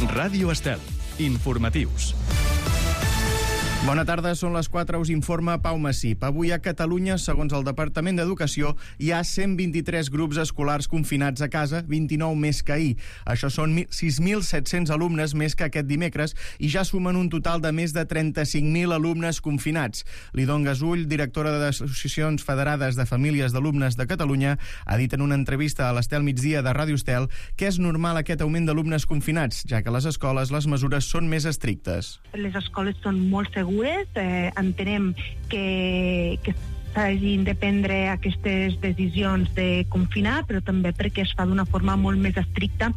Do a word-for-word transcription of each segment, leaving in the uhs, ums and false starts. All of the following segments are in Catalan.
Ràdio Estel. Informatius. Bona tarda, són les quatre, us informa Pau Massip. Avui a Catalunya, segons el Departament d'Educació, hi ha cent vint-i-tres grups escolars confinats a casa, vint-i-nou més que ahir. Això són sis mil set-cents alumnes més que aquest dimecres i ja sumen un total de més de trenta-cinc mil alumnes confinats. Lidon Gasull, directora d'Associacions Federades de Famílies d'Alumnes de Catalunya, ha dit en una entrevista a l'Estel Migdia de Ràdio Estel que és normal aquest augment d'alumnes confinats, ja que a les escoles les mesures són més estrictes. Les escoles són molt segures. Eh, entenem que, que s'hagin de prendre aquestes decisions de confinar, però també perquè es fa d'una forma molt més estricta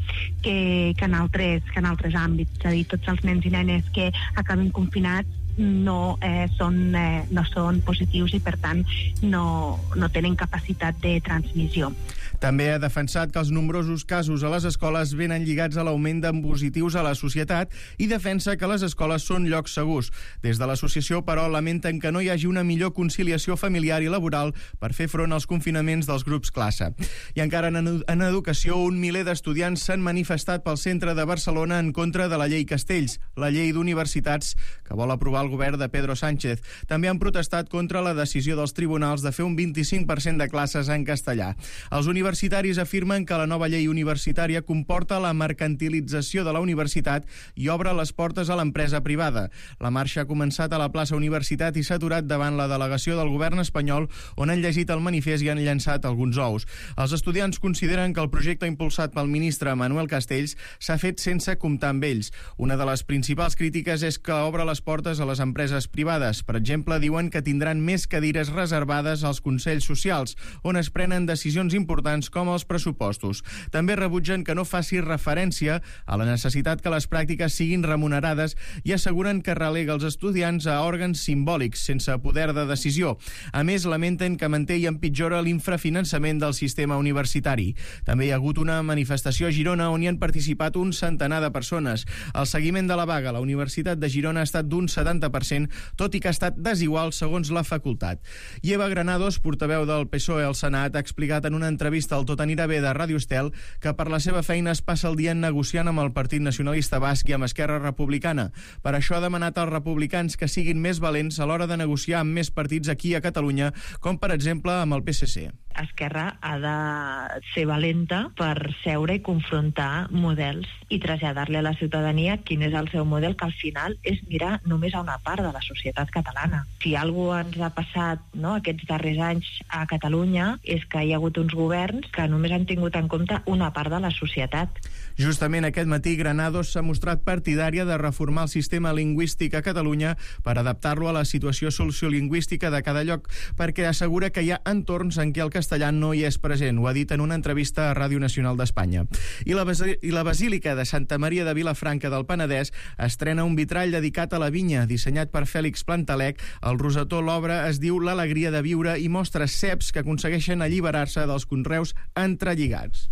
que, que, en, altres, que en altres àmbits. És a dir, tots els nens i nenes que acaben confinats no, eh, són, eh, no són positius i, per tant, no, no tenen capacitat de transmissió. També ha defensat que els nombrosos casos a les escoles venen lligats a l'augment de positius a la societat i defensa que les escoles són llocs segurs. Des de l'associació, però, lamenten que no hi hagi una millor conciliació familiar i laboral per fer front als confinaments dels grups classe. I encara en, en educació, un miler d'estudiants s'han manifestat pel centre de Barcelona en contra de la llei Castells, la llei d'universitats que vol aprovar el govern de Pedro Sánchez. També han protestat contra la decisió dels tribunals de fer un vint-i-cinc per cent de classes en castellà. Els universitats universitaris afirmen que la nova llei universitària comporta la mercantilització de la universitat i obre les portes a l'empresa privada. La marxa ha començat a la plaça Universitat i s'ha aturat davant la delegació del govern espanyol, on han llegit el manifest i han llançat alguns ous. Els estudiants consideren que el projecte impulsat pel ministre Manuel Castells s'ha fet sense comptar amb ells. Una de les principals crítiques és que obre les portes a les empreses privades. Per exemple, diuen que tindran més cadires reservades als consells socials, on es prenen decisions importants com els pressupostos. També rebutgen que no faci referència a la necessitat que les pràctiques siguin remunerades i asseguren que relega els estudiants a òrgans simbòlics, sense poder de decisió. A més, lamenten que manté i empitjora l'infrafinançament del sistema universitari. També hi ha hagut una manifestació a Girona on hi han participat un centenar de persones. El seguiment de la vaga a la Universitat de Girona ha estat d'un setanta per cent, tot i que ha estat desigual segons la facultat. I Eva Granados, portaveu del P S O E al Senat, ha explicat en una entrevista al Tot anirà bé de Ràdio Estel que per la seva feina es passa el dia negociant amb el Partit Nacionalista Basc i amb Esquerra Republicana. Per això ha demanat als republicans que siguin més valents a l'hora de negociar amb més partits aquí a Catalunya, com per exemple amb el P S C. Esquerra ha de ser valenta per seure i confrontar models i traslladar-li a la ciutadania quin és el seu model, que al final és mirar només a una part de la societat catalana. Si alguna cosa ens ha passat, no, aquests darrers anys a Catalunya és que hi ha hagut uns governs que només han tingut en compte una part de la societat. Justament aquest matí Granados s'ha mostrat partidària de reformar el sistema lingüístic a Catalunya per adaptar-lo a la situació sociolingüística de cada lloc, perquè assegura que hi ha entorns en què el castellà no hi és present. Ho ha dit en una entrevista a Ràdio Nacional d'Espanya. I la, I la Basílica de Santa Maria de Vilafranca del Penedès estrena un vitrall dedicat a la vinya, dissenyat per Fèlix Plantalec. El rosetó, l'obra, es diu L'alegria de viure i mostra ceps que aconsegueixen alliberar-se dels conreus entrelligats.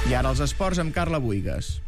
I ara els esports amb Carla Buigas.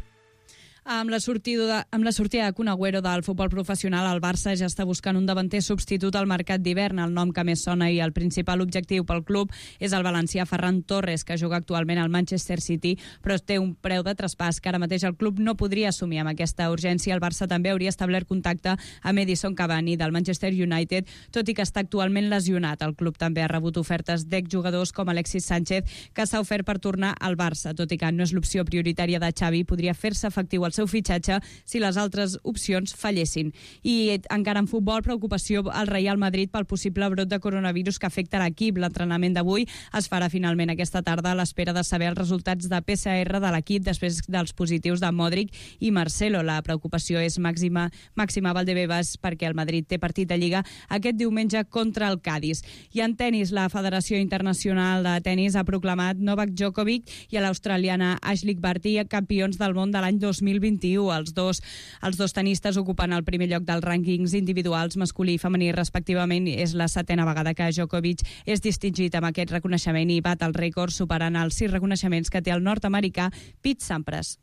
Amb la sortida de, amb la sortida de Kun Agüero del futbol professional, el Barça ja està buscant un davanter substitut al mercat d'hivern. El nom que més sona i el principal objectiu pel club és el valencià Ferran Torres, que juga actualment al Manchester City, però té un preu de traspàs que ara mateix el club no podria assumir. Amb aquesta urgència, el Barça també hauria establert contacte amb Edison Cavani del Manchester United, tot i que està actualment lesionat. El club també ha rebut ofertes d'exjugadors com Alexis Sánchez, que s'ha ofert per tornar al Barça, tot i que no és l'opció prioritària de Xavi, podria fer-se efectiu el seu fitxatge si les altres opcions fallessin. I encara en futbol, preocupació al Real Madrid pel possible brot de coronavirus que afecta l'equip. L'entrenament d'avui es farà finalment aquesta tarda a l'espera de saber els resultats de P C R de l'equip després dels positius de Modric i Marcelo. La preocupació és màxima, màxima Valdebebas perquè el Madrid té partit de Lliga aquest diumenge contra el Cádiz. I en tenis, la Federació Internacional de Tenis ha proclamat Novak Djokovic i a l'australiana Ashleigh Barty campions del món de l'any dos mil vint-i-u. Els dos, els dos tenistes ocupen el primer lloc dels rànquings individuals masculí i femení respectivament. És la setena vegada que Djokovic és distingit amb aquest reconeixement i bat el rècord superant els sis reconeixements que té el nord-americà Pete Sampras.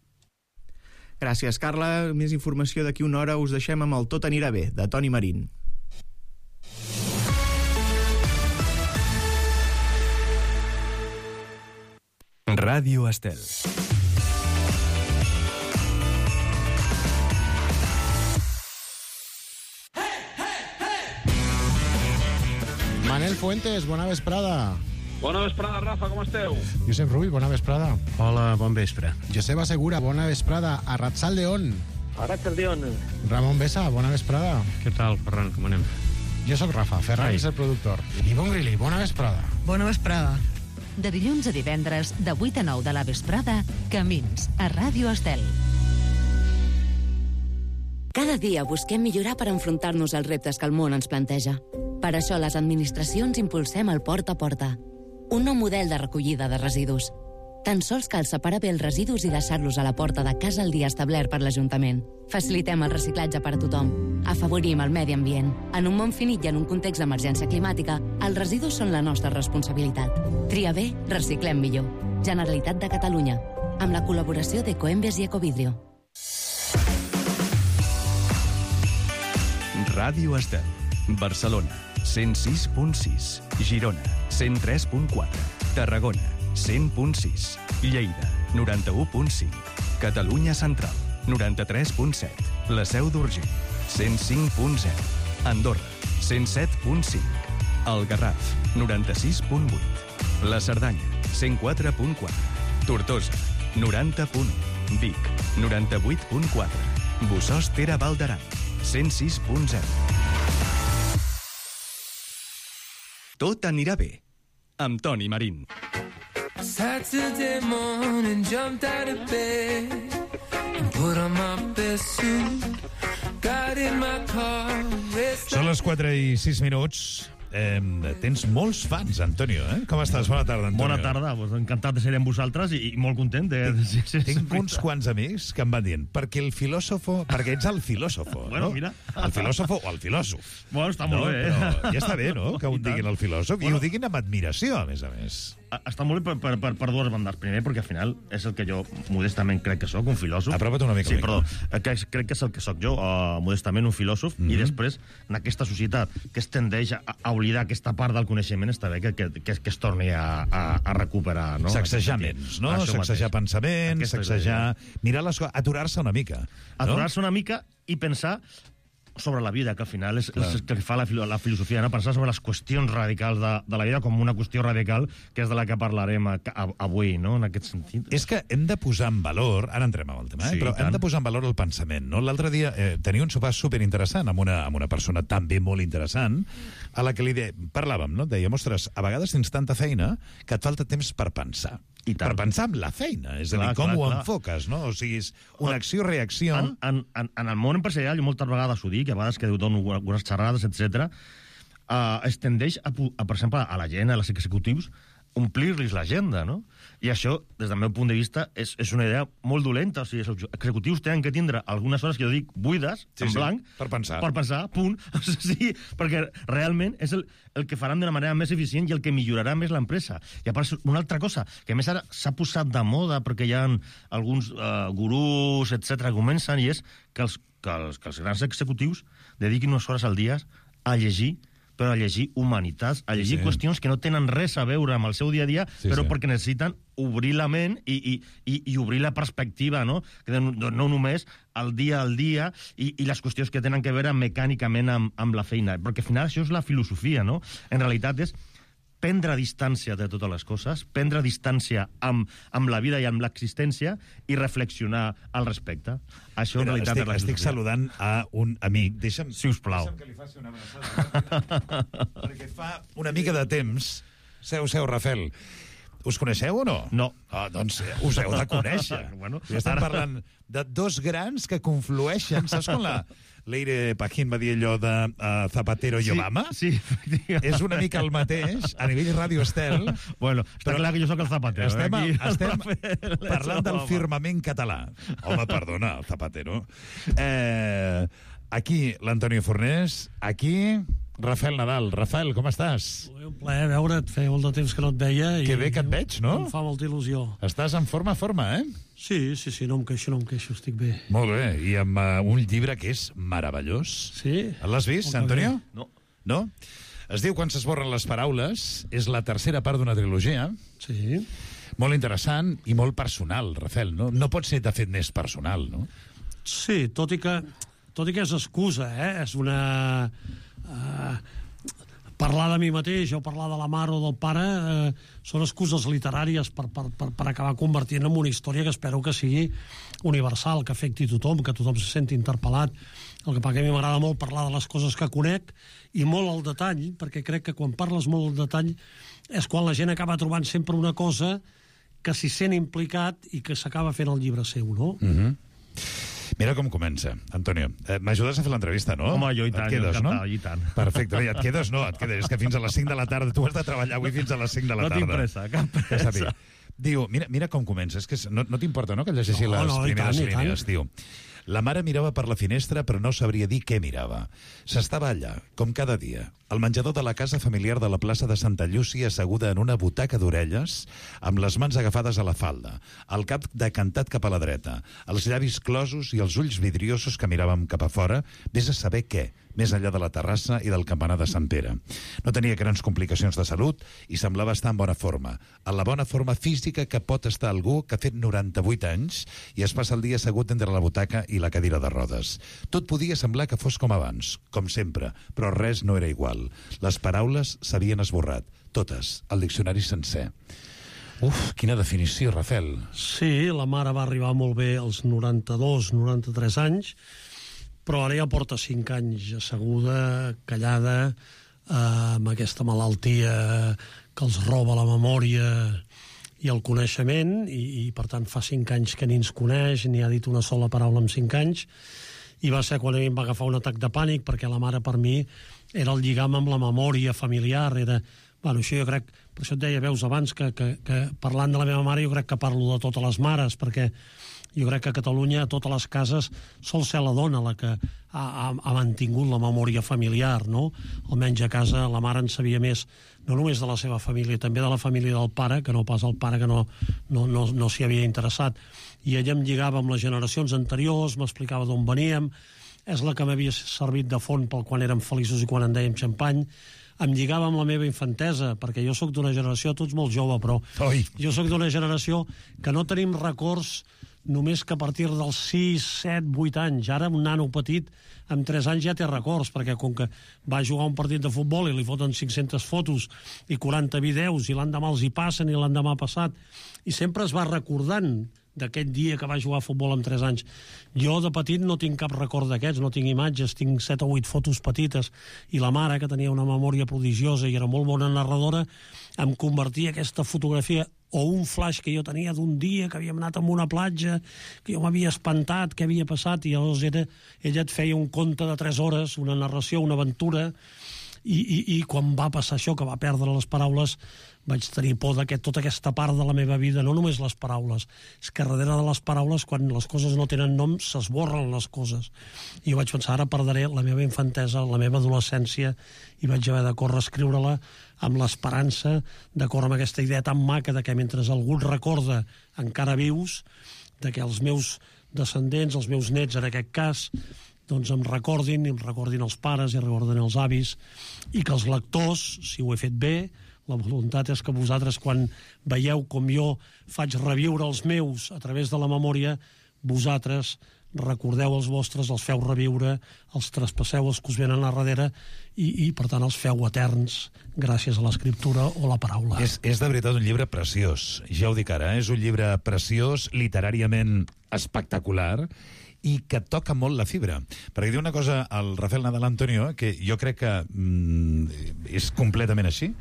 Gràcies, Carla. Més informació d'aquí una hora. Us deixem amb el Tot anirà bé, de Toni Marín. Ràdio Estel. Manel Fuentes, bona vesprada. Bona vesprada, Rafa, com esteu? Josep Rull, bona vesprada. Hola, bon vespre. Joseba Segura, bona vesprada. Arratsaldeon. Arratsaldeon. Ramon Besa, bona vesprada. Què tal, Ferran, com anem? Jo sóc Rafa, Ferran és el productor. Ivonne Grilli, bona vesprada. Bona vesprada. De dilluns a divendres, de vuit a nou de la vesprada, Camins, a Ràdio Estel. Cada dia busquem millorar per enfrontar-nos als reptes que el món ens planteja. Per això les administracions impulsem el Porta a Porta, un nou model de recollida de residus. Tan sols cal separar bé els residus i deixar-los a la porta de casa el dia establert per l'Ajuntament. Facilitem el reciclatge per a tothom. Afavorim el medi ambient. En un món finit i en un context d'emergència climàtica, els residus són la nostra responsabilitat. Tria bé, reciclem millor. Generalitat de Catalunya. Amb la col·laboració d'Ecoembes i Ecovidrio. Ràdio Estel. Barcelona, cent sis punt sis. Girona, cent tres punt quatre. Tarragona, cent punt sis. Lleida, noranta-u punt cinc. Catalunya Central, noranta-tres punt set. La Seu d'Urgell, cent cinc punt zero. Andorra, cent set punt cinc. El Garraf, noranta-sis punt vuit. La Cerdanya, cent quatre punt quatre. Tortosa, noranta punt u. Vic, noranta-vuit punt quatre. Bossòst-Tere Val d'Aran, cent sis punt zero. Tot anirà bé, amb Toni Marín. Saturday morning, jumped out of bed and put on my best suit. Got in my car. Són les quatre i sis minuts. Eh, tens molts fans, Antonio, eh? Com estàs? Bona tarda, Antonio. Bona tarda, pues, encantat de ser amb vosaltres i, i molt content. De, de, de, de, Tinc uns quants amics que em van dient, perquè el filòsofo, perquè ets el filòsofo, bueno, no? Mira. El filòsofo o el filòsof. Bueno, està molt no, bé. Però ja està bé, no?, que ho diguin el filòsof, bueno, i ho diguin amb admiració, a més a més. Està molt bé per, per, per, per dues bandes. Primer, perquè al final és el que jo modestament crec que sóc, un filòsof. Apropa't una mica. Sí, perdó. Que crec que és el que sóc jo, uh, modestament un filòsof, mm-hmm. i després, en aquesta societat que es tendeix a, a oblidar aquesta part del coneixement, està bé que, que, que, que es torni a, a, a recuperar, no? Sacsejar ments, no? Això sacsejar mateix. Pensaments, sacsejar... Mirar les coses, aturar-se una mica. Aturar-se no? una mica i pensar sobre la vida, que al final és, és el que fa la, la filosofia, no? Pensar sobre les qüestions radicals de, de la vida com una qüestió radical, que és de la que parlarem a, a, avui, no?, en aquest sentit. És que hem de posar en valor, ara entrem en el tema, eh? Sí, però hem de posar en valor el pensament, no? L'altre dia eh, tenia un sopar superinteressant amb una, amb una persona també molt interessant, a la que li de... parlàvem, no? Dèiem, ostres, a vegades tens tanta feina que et falta temps per pensar. I per pensar en la feina, és clar, a dir, com clar, ho clar. enfoques, no? O sigui, és una acció-reacció... En, en, en, en el món empresarial, jo moltes vegades ho dic, a vegades que dono algunes xerrades, etcètera, uh, es tendeix, a, a, per exemple, a la gent, als executius, omplir-los l'agenda, no? I això, des del meu punt de vista, és, és una idea molt dolenta. O sigui, els executius tenen que tindre algunes hores que jo dic buides, sí, en sí, blanc, per pensar. Per pensar, punt. O sigui, perquè realment és el, el que faran d'una manera més eficient i el que millorarà més l'empresa. I a part, una altra cosa, que a més ara s'ha posat de moda perquè hi ha alguns uh, gurús, etcètera, que comencen, i és que els, que, els, que els grans executius dediquin unes hores al dia a llegir, però a llegir humanitats, a llegir sí. qüestions que no tenen res a veure amb el seu dia a dia, sí, però sí. perquè necessiten obrir la ment i, i, i, i obrir la perspectiva, no? Que no, no només el dia al dia i, i les qüestions que tenen que veure mecànicament amb, amb la feina, perquè al final això és la filosofia, no? En realitat és prendre distància de totes les coses, prendre distància amb, amb la vida i amb l'existència i reflexionar al respecte. Això en realitat estic, és la estic saludant a un amic. Deixa'm, si us plau. Deixa'm que li faci una abraçada. Perquè fa una mica de temps... Seu, seu, Rafel. Us coneixeu o no? No. Ah, doncs us heu de conèixer. Bueno, I estem ara... parlant de dos grans que conflueixen. Saps quan la... Leire Pajín va dir allò de uh, Zapatero i sí, Obama? Sí, és una mica el mateix, a nivell Ràdio Estel. Bueno, està però clar que jo sóc el Zapatero. Estem, eh? estem parlant del firmament català. Home, perdona, el Zapatero. Eh, aquí, l'Antonio Fornés. Aquí, Rafael Nadal. Rafael, com estàs? Un plaer veure't, feia molt de temps que no et veia. Que bé que et veig, no? Em fa molta il·lusió. Estàs en forma, forma, eh? Sí, sí, sí, no em queixo, no em queixo, estic bé. Molt bé, i amb uh, un llibre que és meravellós. Sí. L'has vist, Antonio? No. No? Es diu Quan s'esborren les paraules, és la tercera part d'una trilogia. Sí. Molt interessant i molt personal, Rafael, no? No pot ser, de fet, més personal, no? Sí, tot i que, tot i que és excusa, eh? És una... Uh, parlar de mi mateix o parlar de la mare o del pare eh, són excuses literàries per, per, per, per acabar convertint en una història que espero que sigui universal, que afecti tothom, que tothom se senti interpel·lat. El que passa que a mi m'agrada molt parlar de les coses que conec i molt al detall, perquè crec que quan parles molt al detall és quan la gent acaba trobant sempre una cosa que s'hi sent implicat i que s'acaba fent el llibre seu, no? Mhm. Mira com comença, Antonio. Eh, M'ajudes a fer l'entrevista, no? Home, jo i tant, et quedes, jo no? i tant. Perfecte, ja et quedes, no, et quedes. És que fins a les cinc de la tarda, tu has de treballar avui fins a les cinc de la No tarda. tinc pressa, cap pressa. Que sàpiga. Diu, mira, mira com comença, és que no, no t'importa, no?, que llegeixi No, les no, i primeres tant, i tant. línies. Diu, la mare mirava per la finestra però no sabria dir què mirava. S'estava allà, com cada dia, al menjador de la casa familiar de la plaça de Santa Llúcia, asseguda en una butaca d'orelles, amb les mans agafades a la falda, el cap decantat cap a la dreta, els llavis closos i els ulls vidriosos que miràvem cap a fora, vés a saber què, més enllà de la terrassa i del campanar de Sant Pere. No tenia grans complicacions de salut i semblava estar en bona forma, en la bona forma física que pot estar algú que ha fet noranta-vuit anys i es passa el dia assegut entre la butaca i la cadira de rodes. Tot podia semblar que fos com abans, com sempre, però res no era igual. Les paraules s'havien esborrat, totes, el diccionari sencer. Uf, quina definició, Rafael. Sí, la mare va arribar molt bé als noranta-dos, noranta-tres anys, però ara ja porta cinc anys asseguda, callada, eh, amb aquesta malaltia que els roba la memòria i el coneixement, i, i per tant fa cinc anys que ni ens coneix, ni ha dit una sola paraula en cinc anys, i va ser quan a mi em va agafar un atac de pànic, perquè la mare per mi era el lligam amb la memòria familiar, era... Bueno, això jo crec, per això et deia, veus, abans que, que, que parlant de la meva mare jo crec que parlo de totes les mares, perquè jo crec que a Catalunya, a totes les cases, sol ser la dona la que ha, ha, ha mantingut la memòria familiar, no? Almenys a casa la mare en sabia més, no només de la seva família, també de la família del pare, que no pas el pare que no, no, no, no s'hi havia interessat. I ella em lligava amb les generacions anteriors, m'explicava d'on veníem, és la que m'havia servit de font pel quan érem feliços i quan en dèiem xampany, em lligava amb la meva infantesa, perquè jo sóc d'una generació, tu ets molt jove, però Oi. jo sóc d'una generació que no tenim records només que a partir dels sis, set, vuit anys. Ara un nano petit amb tres anys ja té records, perquè com que va jugar un partit de futbol i li foten cinc-centes fotos i quaranta vídeos i l'endemà els hi passen i l'endemà passat, i sempre es va recordant d'aquest dia que va jugar a futbol amb tres anys. Jo de petit no tinc cap record d'aquests, no tinc imatges, tinc set o vuit fotos petites, i la mare, que tenia una memòria prodigiosa i era molt bona narradora, em convertia aquesta fotografia o un flash que jo tenia d'un dia que havíem anat a una platja, que jo m'havia espantat, què havia passat, i llavors era, ella et feia un conte de tres hores, una narració, una aventura, i, i, i quan va passar això, que va perdre les paraules, vaig tenir por que tota aquesta part de la meva vida, no només les paraules, és que darrere de les paraules, quan les coses no tenen nom, s'esborren les coses. I jo vaig pensar, ara perdré la meva infantesa, la meva adolescència, i vaig haver de córrer a escriure-la amb l'esperança, d'acord amb aquesta idea tan maca de que mentre algú et recorda encara vius, de que els meus descendents, els meus nets en aquest cas, doncs em recordin, i em recordin els pares, i recordin els avis, i que els lectors, si ho he fet bé, la voluntat és que vosaltres, quan veieu com jo faig reviure els meus a través de la memòria, vosaltres recordeu els vostres, els feu reviure, els traspasseu els que us venen a darrere i, i per tant, els feu eterns gràcies a l'escriptura o la paraula. És, és de veritat un llibre preciós, ja ho dic ara, eh? És un llibre preciós, literàriament espectacular, i que toca molt la fibra. Perquè diu una cosa al Rafael Nadal Antonio, que jo crec que mm, és completament així,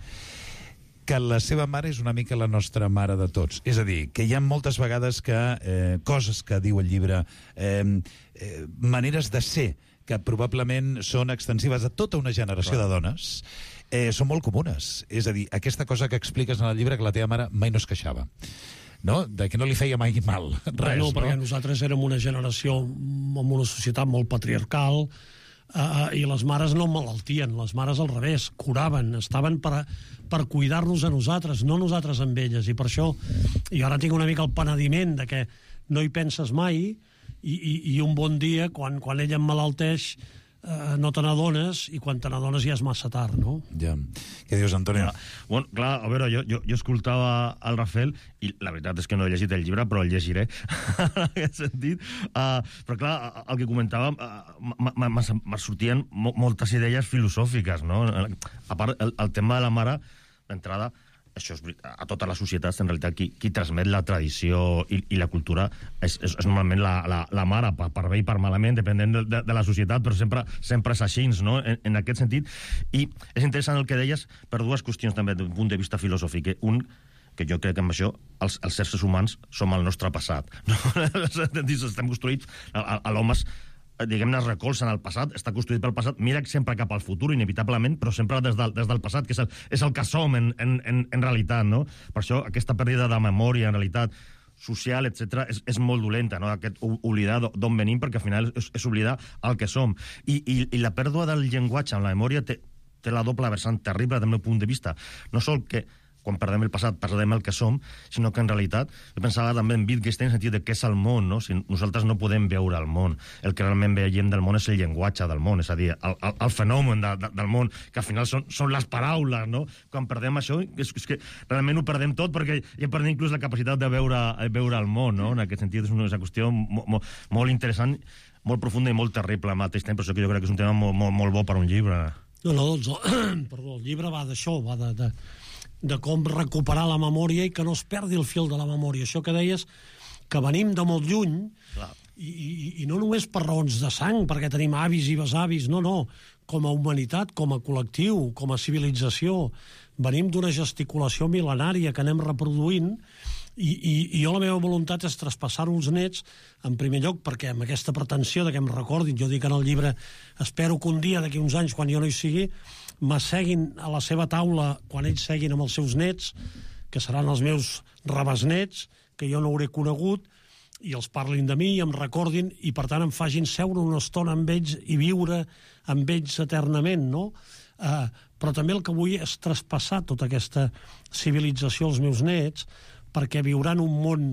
que la seva mare és una mica la nostra mare de tots. És a dir, que hi ha moltes vegades que eh, coses que diu el llibre, eh, eh, maneres de ser, que probablement són extensives a tota una generació Clar. de dones, eh, són molt comunes. És a dir, aquesta cosa que expliques en el llibre, que la teva mare mai no es queixava, no? De que no li feia mai mal. Res, no, no, perquè nosaltres érem una generació amb una societat molt patriarcal, Uh, i les mares no malaltien, les mares al revés, curaven, estaven per, a, per cuidar-nos a nosaltres, no nosaltres amb elles, i per això jo ara tinc una mica el penediment de que no hi penses mai, i, i, i un bon dia, quan, quan ella em malalteix, eh, no te n'adones, i quan te n'adones ja és massa tard, no? Ja. Què dius, Antonio? Ja. Bueno, clar, a veure, jo, jo, jo escoltava el Rafael i la veritat és que no he llegit el llibre, però el llegiré en aquest sentit. Uh, però clar, el que comentàvem, uh, me sortien moltes idees filosòfiques, no? A part, el, el tema de la mare, d'entrada, això és, a totes les societats, en realitat, qui, qui transmet la tradició i, i la cultura és, és, és normalment la, la, la mare, per, per bé i per malament, depenent de, de, de la societat, però sempre, sempre és així, no? En, en aquest sentit. I és interessant el que deies per dues qüestions, també, d'un punt de vista filosòfic. Un, que jo crec que amb això els, els éssers humans som el nostre passat. No? Estem construïts, l'home diguem-ne, es recolza en el passat, està construït pel passat, mira sempre cap al futur, inevitablement, però sempre des del, des del passat, que és el, és el que som en, en, en, en realitat, no? Per això aquesta pèrdua de memòria, en realitat, social, etcètera, és, és molt dolenta, no? Aquest oblidar d'on venim, perquè al final és, és oblidar el que som. I, i, i la pèrdua del llenguatge en la memòria té, té la doble vessant terrible, del meu punt de vista. No sol que quan perdem el passat, perdem el que som, sinó que en realitat, jo pensava també en Wittgenstein en el sentit de què és el món, no? Si nosaltres no podem veure el món. El que realment veiem del món és el llenguatge del món, és a dir, el, el, el fenomen de, de, del món, que al final són, són les paraules, no? Quan perdem això, és, és que realment ho perdem tot, perquè ja perdem inclús la capacitat de veure, veure el món, no? En aquest sentit és una qüestió mo, mo, molt interessant, molt profunda i molt terrible al mateix temps, per això que jo crec que és un tema molt, molt, molt bo per un llibre. No, no, doncs, perdó, el llibre va d'això, va de... de... de com recuperar la memòria i que no es perdi el fil de la memòria. Això que deies, que venim de molt lluny, i, i, i no només per raons de sang, perquè tenim avis i besavis, no, no, com a humanitat, com a col·lectiu, com a civilització, venim d'una gesticulació mil·lenària que anem reproduint, i, i, i jo la meva voluntat és traspassar-ho als nets, en primer lloc, perquè amb aquesta pretensió de que em recordin, jo dic en el llibre, espero que un dia, d'aquí uns anys, quan jo no hi sigui, m'asseguin a la seva taula quan ells seguin amb els seus nets, que seran els meus rebesnets, que jo no hauré conegut, i els parlin de mi i em recordin, i per tant em facin seure una estona amb ells i viure amb ells eternament, no? Eh, però també el que vull és traspassar tota aquesta civilització als meus nets, perquè viuran un món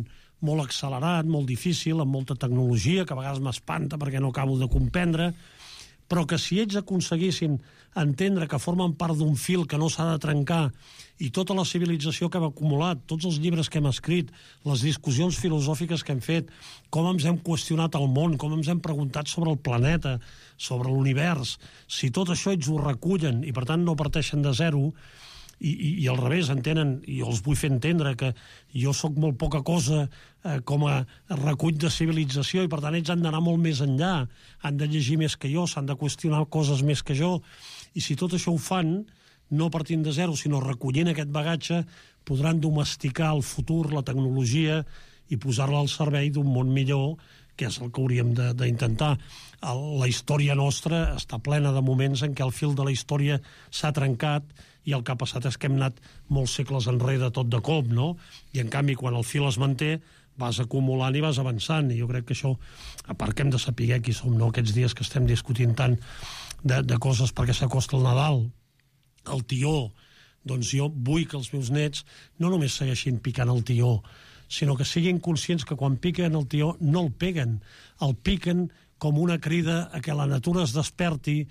molt accelerat, molt difícil, amb molta tecnologia, que a vegades m'espanta perquè no acabo de comprendre, però que si ells aconseguissin entendre que formen part d'un fil que no s'ha de trencar, i tota la civilització que hem acumulat, tots els llibres que hem escrit, les discussions filosòfiques que hem fet, com ens hem qüestionat el món, com ens hem preguntat sobre el planeta, sobre l'univers, si tot això ells ho recullen i per tant no parteixen de zero, i, i, i al revés, entenen, i jo els vull fer entendre que jo sóc molt poca cosa eh, com a recull de civilització, i per tant ells han d'anar molt més enllà, han de llegir més que jo, s'han de qüestionar coses més que jo, i si tot això ho fan, no partint de zero, sinó recollint aquest bagatge, podran domesticar el futur, la tecnologia, i posar-la al servei d'un món millor, que és el que hauríem d'intentar. La història nostra està plena de moments en què el fil de la història s'ha trencat, i el que ha passat és que hem anat molts segles enrere tot de cop, no? I en canvi, quan el fil es manté, vas acumulant i vas avançant, i jo crec que això, a part que hem de saber qui som, no? Aquests dies que estem discutint tant de, de coses perquè s'acosta el Nadal, el tió, doncs jo vull que els meus nets no només segueixin picant el tió, sinó que siguin conscients que quan piquen el tió no el peguen, el piquen com una crida a que la natura es desperti,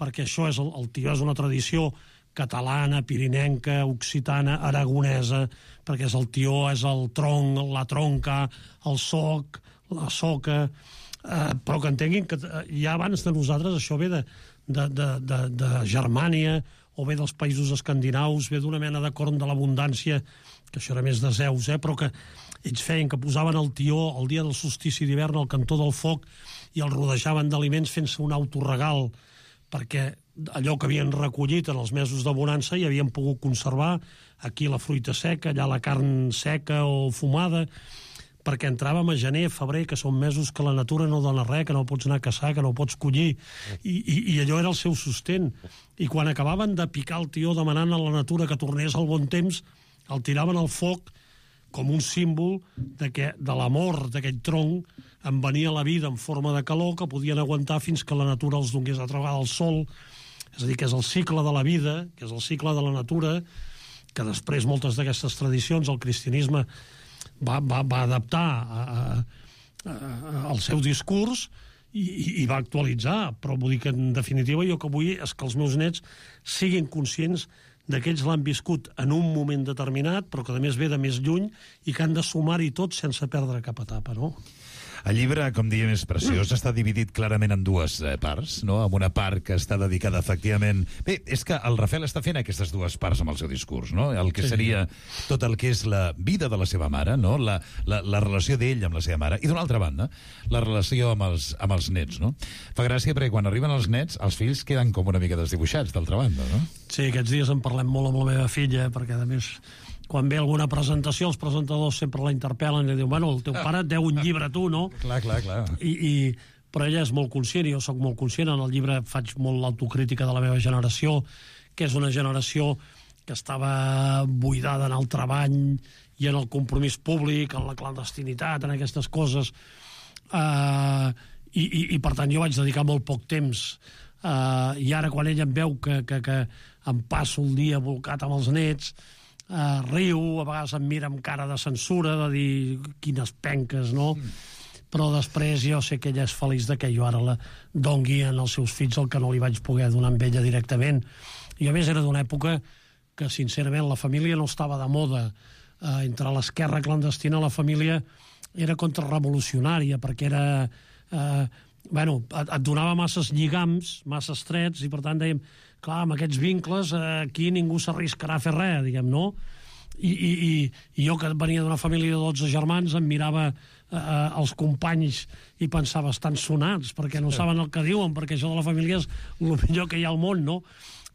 perquè això és el, el tió és una tradició catalana, pirinenca, occitana, aragonesa, perquè és el tió, és el tronc, la tronca, el soc, la soca, eh, però que entenguin que ja abans de nosaltres això ve de, de, de, de, de Germània, o ve dels països escandinaus, ve d'una mena de corn de l'abundància, que això era més de Zeus, eh, però que ells feien que posaven el tió el dia del solstici d'hivern al cantó del foc i el rodejaven d'aliments fent-se un autorregal, perquè allò que havien recollit en els mesos de bonança hi havien pogut conservar, aquí la fruita seca, allà la carn seca o fumada, perquè entràvem a gener, febrer, que són mesos que la natura no dona res, que no pots anar a caçar, que no pots collir, i, i, i allò era el seu sostén. I quan acabaven de picar el tió demanant a la natura que tornés al bon temps, el tiraven al foc com un símbol de que de l'amor d'aquell tronc en venia la vida en forma de calor que podien aguantar fins que la natura els donés altra vegada el sol. És a dir, que és el cicle de la vida, que és el cicle de la natura, que després moltes d'aquestes tradicions el cristianisme va, va, va adaptar a, a, a, al seu discurs, i, i va actualitzar, però vull dir que en definitiva jo que vull és que els meus nets siguin conscients de que ells l'han viscut en un moment determinat, però que a més ve de més lluny i que han de sumar-hi tot sense perdre cap etapa, no? El llibre, com diem, és preciós, està dividit clarament en dues eh, parts, no? Amb una part que està dedicada, efectivament... Bé, és que el Rafel està fent aquestes dues parts amb el seu discurs, no? El que seria tot el que és la vida de la seva mare, no? La, la, la relació d'ell amb la seva mare, i d'una altra banda, la relació amb els, amb els nets, no? Fa gràcia perquè quan arriben els nets, els fills queden com una mica desdibuixats, d'altra banda, no? Sí, aquests dies en parlem molt amb la meva filla, perquè, a més... quan ve alguna presentació, els presentadors sempre la interpel·len i diuen, bueno, el teu pare et deu un llibre a tu, no? Clar, clar, clar. I, i, però ella és molt conscient, i jo sóc molt conscient, en el llibre faig molt l'autocrítica de la meva generació, que és una generació que estava buidada en el treball i en el compromís públic, en la clandestinitat, en aquestes coses, uh, i, i, i per tant jo vaig dedicar molt poc temps, uh, i ara quan ella em veu que, que, que em passo el dia volcat amb els nets, Uh, riu, a vegades em mira amb cara de censura, de dir quines penques, no? Mm. Però després jo sé que ella és feliç de que jo ara la dongui als seus fills el que no li vaig poder donar amb ella directament. I a més era d'una època que sincerament la família no estava de moda. Uh, entre l'esquerra clandestina la família era contrarrevolucionària, perquè era... Uh, bueno, et, et donava masses lligams, masses trets, i per tant dèiem, clar, amb aquests vincles aquí ningú s'arriscarà a fer res, diguem, no? I, i, i, i jo, que venia d'una família de dotze germans, em mirava eh, els companys i pensava, estan sonats, perquè no saben el que diuen, perquè això de la família és el millor que hi ha al món, no?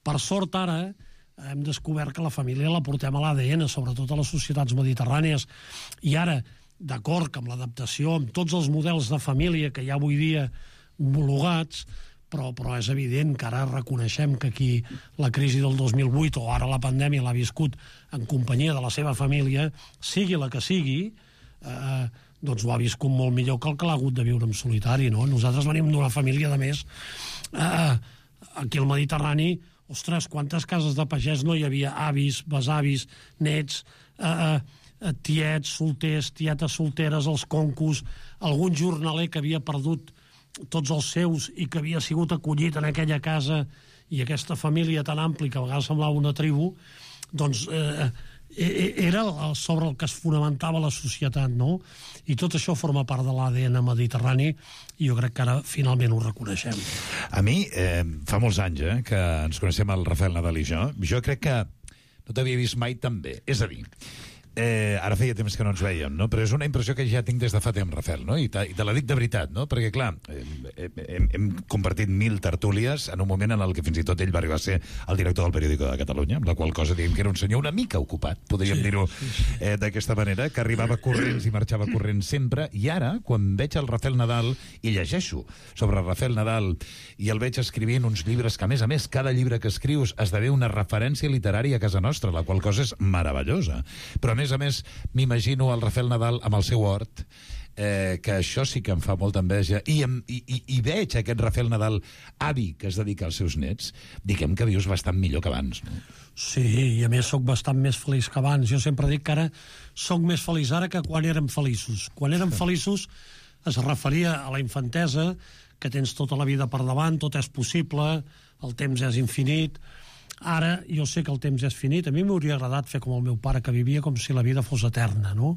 Per sort, ara, hem descobert que la família la portem a l'A D N, sobretot a les societats mediterrànies, i ara, d'acord que amb l'adaptació, amb tots els models de família que hi ha avui dia homologats, però, però és evident que ara reconeixem que qui la crisi del dos mil vuit o ara la pandèmia l'ha viscut en companyia de la seva família, sigui la que sigui, eh, doncs ho ha viscut molt millor que el que l'ha hagut de viure en solitari, no? Nosaltres venim d'una família, de més, eh, aquí al Mediterrani, ostres, quantes cases de pagès no hi havia, avis, besavis, nets, eh, eh, tiets, solters, tietes solteres, els concos, algun jornaler que havia perdut tots els seus i que havia sigut acollit en aquella casa, i aquesta família tan àmplia que a vegades semblava una tribu, doncs eh, era sobre el que es fonamentava la societat, no? I tot això forma part de l'A D N mediterrani, i jo crec que ara finalment ho reconeixem. A mi, eh, fa molts anys eh, que ens coneixem el Rafael Nadal i jo, jo crec que no t'havia vist mai tan bé. És a dir, Eh, ara feia temps que no ens veiem, no? Però és una impressió que ja tinc des de fa temps, Rafael, no? I te, i te la dic de veritat, no? Perquè, clar, eh, hem, hem compartit mil tertúlies en un moment en el que fins i tot ell va arribar a ser el director del Periódico de Catalunya, amb la qual cosa diguem que era un senyor una mica ocupat, podríem sí, dir-ho eh, d'aquesta manera, que arribava corrents i marxava corrents sempre, i ara, quan veig el Rafael Nadal i llegeixo sobre Rafael Nadal i el veig escrivint uns llibres que, a més a més, cada llibre que escrius esdevé una referència literària a casa nostra, la qual cosa és meravellosa. Però, a més a més, m'imagino el Rafael Nadal amb el seu hort, eh, que això sí que em fa molta enveja, i, em, i, i, i veig aquest Rafael Nadal avi que es dedica als seus nets, diguem que vius bastant millor que abans, no? Sí, i a més sóc bastant més feliç que abans. Jo sempre dic que ara sóc més feliç ara que quan érem feliços. Quan érem feliços es referia a la infantesa, que tens tota la vida per davant, tot és possible, el temps és infinit. Ara jo sé que el temps és finit. A mi m'hauria agradat fer com el meu pare, que vivia com si la vida fos eterna, no?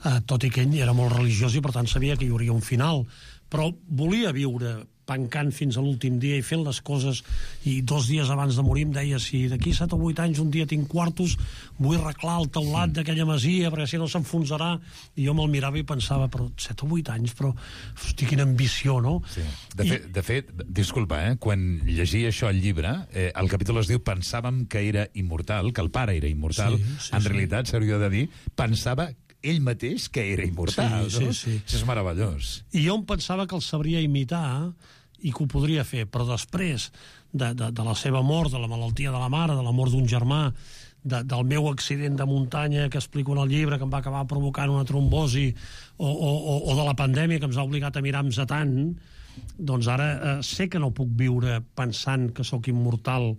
Eh, tot i que ell era molt religiós i per tant sabia que hi hauria un final, però volia viure pencant fins a l'últim dia i fent les coses, i dos dies abans de morir em deia, si d'aquí set o vuit anys un dia tinc quartos, vull arreglar el teulat d'aquella masia perquè si no s'enfonsarà. I jo me'l mirava i pensava, però set o vuit anys, però hosti, quina ambició, no? Sí. De, I... fet, de fet, disculpa, eh? Quan llegia això al llibre, eh, el capítol es diu pensàvem que era immortal, que el pare era immortal, sí, sí, en sí. realitat s'hauria de dir, pensava ell mateix que era immortal, sí, no? Sí, sí. Això és meravellós. I jo em pensava que el sabria imitar i que ho podria fer, però després de, de, de la seva mort, de la malaltia de la mare, de la mort d'un germà, de, del meu accident de muntanya que explico en el llibre, que em va acabar provocant una trombosi, o, o, o de la pandèmia que ens ha obligat a mirar-nos a tant, doncs ara eh, sé que no puc viure pensant que sóc immortal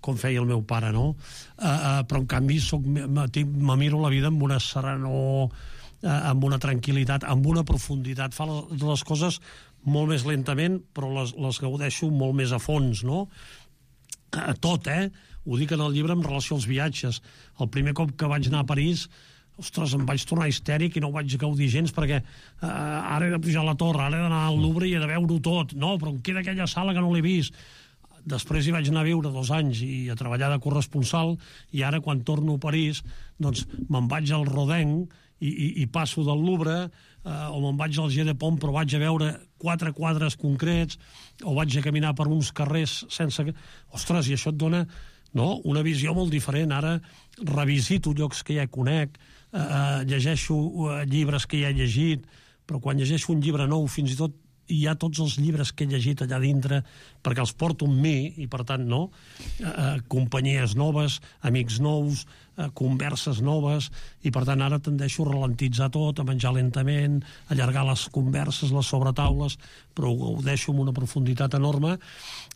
com feia el meu pare, no? Eh, eh, però en canvi soc, me, me miro la vida amb una serenor, eh, amb una tranquil·litat, amb una profunditat, fa les coses molt més lentament, però les, les gaudeixo molt més a fons, no? A tot, eh? Ho dic en el llibre en relació als viatges. El primer cop que vaig anar a París, ostres, em vaig tornar histèric i no ho vaig gaudir gens perquè eh, ara he de pujar a la torre, ara he d'anar al Louvre i he de veure-ho tot. No, però em queda aquella sala que no l'he vist. Després hi vaig anar a viure dos anys i a treballar de corresponsal, i ara quan torno a París doncs me'n vaig al Rodin i, i, i passo del Louvre, eh, o me'n vaig al Jeu de Paume però vaig a veure quatre quadres concrets, o vaig a caminar per uns carrers sense... Ostres, i això et dona, no?, una visió molt diferent. Ara revisito llocs que ja conec, eh, llegeixo eh, llibres que ja he llegit, però quan llegeixo un llibre nou, fins i tot hi ha tots els llibres que he llegit allà dintre, perquè els porto amb mi, i per tant, no? Eh, companyies noves, amics nous, eh, converses noves, i per tant ara tendeixo a ralentitzar tot, a menjar lentament, a allargar les converses, les sobretaules, però ho deixo amb una profunditat enorme,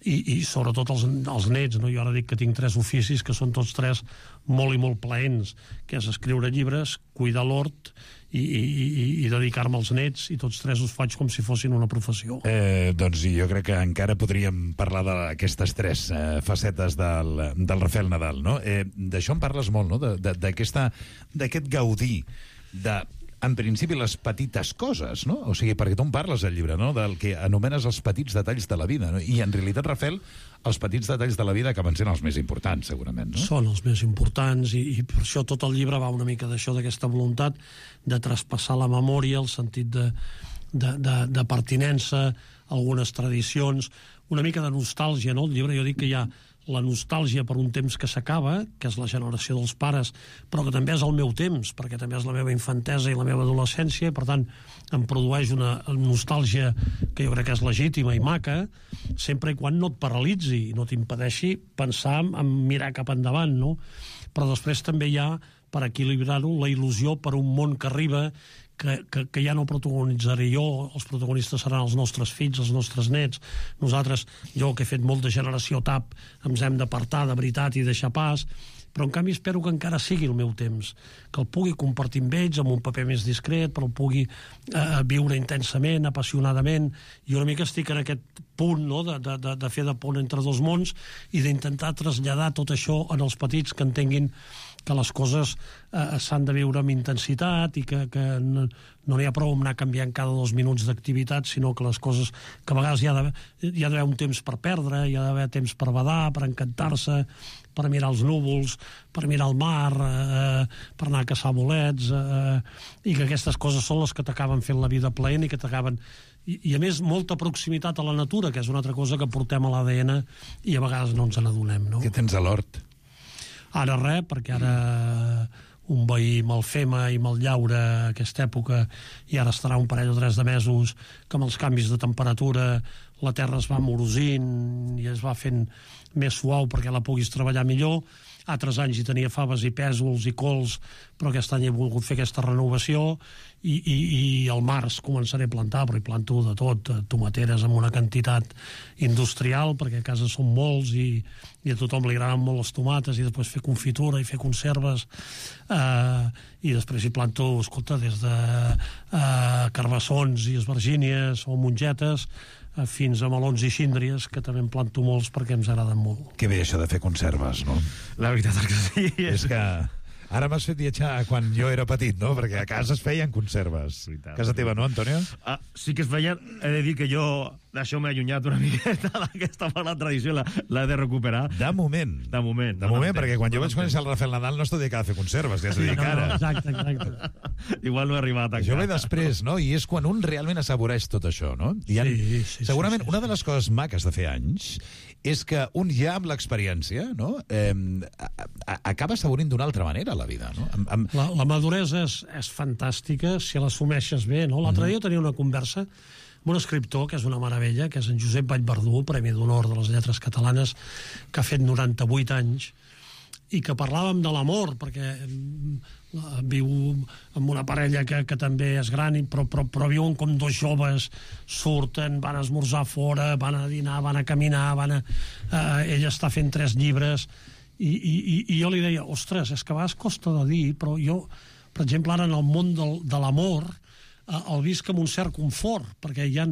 i, i sobretot els, els nets, no? Jo ara dic que tinc tres oficis, que són tots tres molt i molt plaents, que és escriure llibres, cuidar l'hort, i, i, i, i dedicar-me als nets, i tots tres us faig com si fossin una professió. Eh, doncs jo crec que encara podríem parlar d'aquestes tres eh, facetes del, del Rafael Nadal, no? Eh, d'això en parles molt, no? D'aquest gaudir de, en principi, les petites coses, no? O sigui, perquè tu en parles al llibre, no?, del que anomenes els petits detalls de la vida, no? I en realitat, Rafael, els petits detalls de la vida acaben sent els més importants, segurament, no? Són els més importants, i, i per això tot el llibre va una mica d'això, d'aquesta voluntat de traspassar la memòria, el sentit de, de, de, de pertinença, algunes tradicions, una mica de nostàlgia, no? El llibre, jo dic que hi ha la nostàlgia per un temps que s'acaba, que és la generació dels pares, però que també és el meu temps, perquè també és la meva infantesa i la meva adolescència, i per tant em produeix una nostàlgia que jo crec que és legítima i maca, sempre i quan no et paralitzi i no t'impedeixi pensar en mirar cap endavant, no? Però després també hi ha, per equilibrar-ho, la il·lusió per un món que arriba, que, que, que ja no protagonitzaré jo, els protagonistes seran els nostres fills, els nostres nets. Nosaltres, jo que he fet molt de generació T A P, ens hem d'apartar de veritat i deixar pas, però en canvi espero que encara sigui el meu temps, que el pugui compartir amb ells amb un paper més discret, però el pugui eh, viure intensament, apassionadament, i una mica estic en aquest punt, no?, de, de, de fer de pont entre dos mons i d'intentar traslladar tot això en els petits, que entenguin que les coses eh, s'han de viure amb intensitat i que, que no, no n'hi ha prou amb anar canviant cada dos minuts d'activitat, sinó que les coses, que a vegades hi ha d'haver un temps per perdre, hi ha d'haver temps per badar, per encantar-se, per mirar els núvols, per mirar el mar, eh, per anar a caçar bolets, eh, i que aquestes coses són les que t'acaben fent la vida plaent i que t'acaben... I, I, a més, molta proximitat a la natura, que és una altra cosa que portem a l'A D N i a vegades no ens n'adonem, no? Què tens a l'hort? Ara res, perquè ara un veí me'l fema i me'l llaura a aquesta època, i ara estarà un parell o tres de mesos que amb els canvis de temperatura la terra es va morosint i es va fent més suau perquè la puguis treballar millor. Altres anys hi tenia faves i pèsols i cols, però aquest any he volgut fer aquesta renovació, i, i, i al març començaré a plantar, però hi planto de tot, tomateres amb una quantitat industrial, perquè a casa són molts i, i a tothom li agraden molt les tomates, i després fer confitura i fer conserves, eh, i després hi planto, escolta, des de eh, carbassons i esvergínies o mongetes, fins a melons i síndries, que també en planto molts perquè ens agraden molt. Que bé això de fer conserves, no? La veritat és que sí. És que ara m'has fet viatjar quan jo era petit, no? Perquè a casa es feien conserves. A casa teva, no, Antonio? Ah, sí que es feien. He de dir que jo d'això m'he allunyat una miqueta d'aquesta mala tradició, l'he de recuperar. De moment. De moment. De moment, perquè quan jo vaig conèixer el Rafael Nadal no es dedicava a fer conserves, ja es dedica ara. Exacte, exacte. Igual no he arribat a això ve després, no? I és quan un realment assaboreix tot això, no? I han, sí, sí, segurament sí, sí, una de les coses maques de fer anys és que un ja amb l'experiència, no?, eh, acaba assaborint d'una altra manera la vida, no? Amb, amb... La, la maduresa és, és fantàstica si l'assumeixes bé, no? L'altre dia tenia una conversa amb un escriptor que és una meravella, que és en Josep Vallverdú, Premi d'Honor de les Lletres Catalanes, que ha fet noranta-vuit anys, i que parlàvem de l'amor, perquè viu amb una parella que, que també és gran, però, però, però viuen com dos joves, surten, van a esmorzar fora, van a dinar, van a caminar, van a... Eh, ella està fent tres llibres, i, i, i jo li deia, ostres, és que a vegades costa de dir, però jo, per exemple, ara en el món del, de l'amor, el visc amb un cert confort, perquè hi ha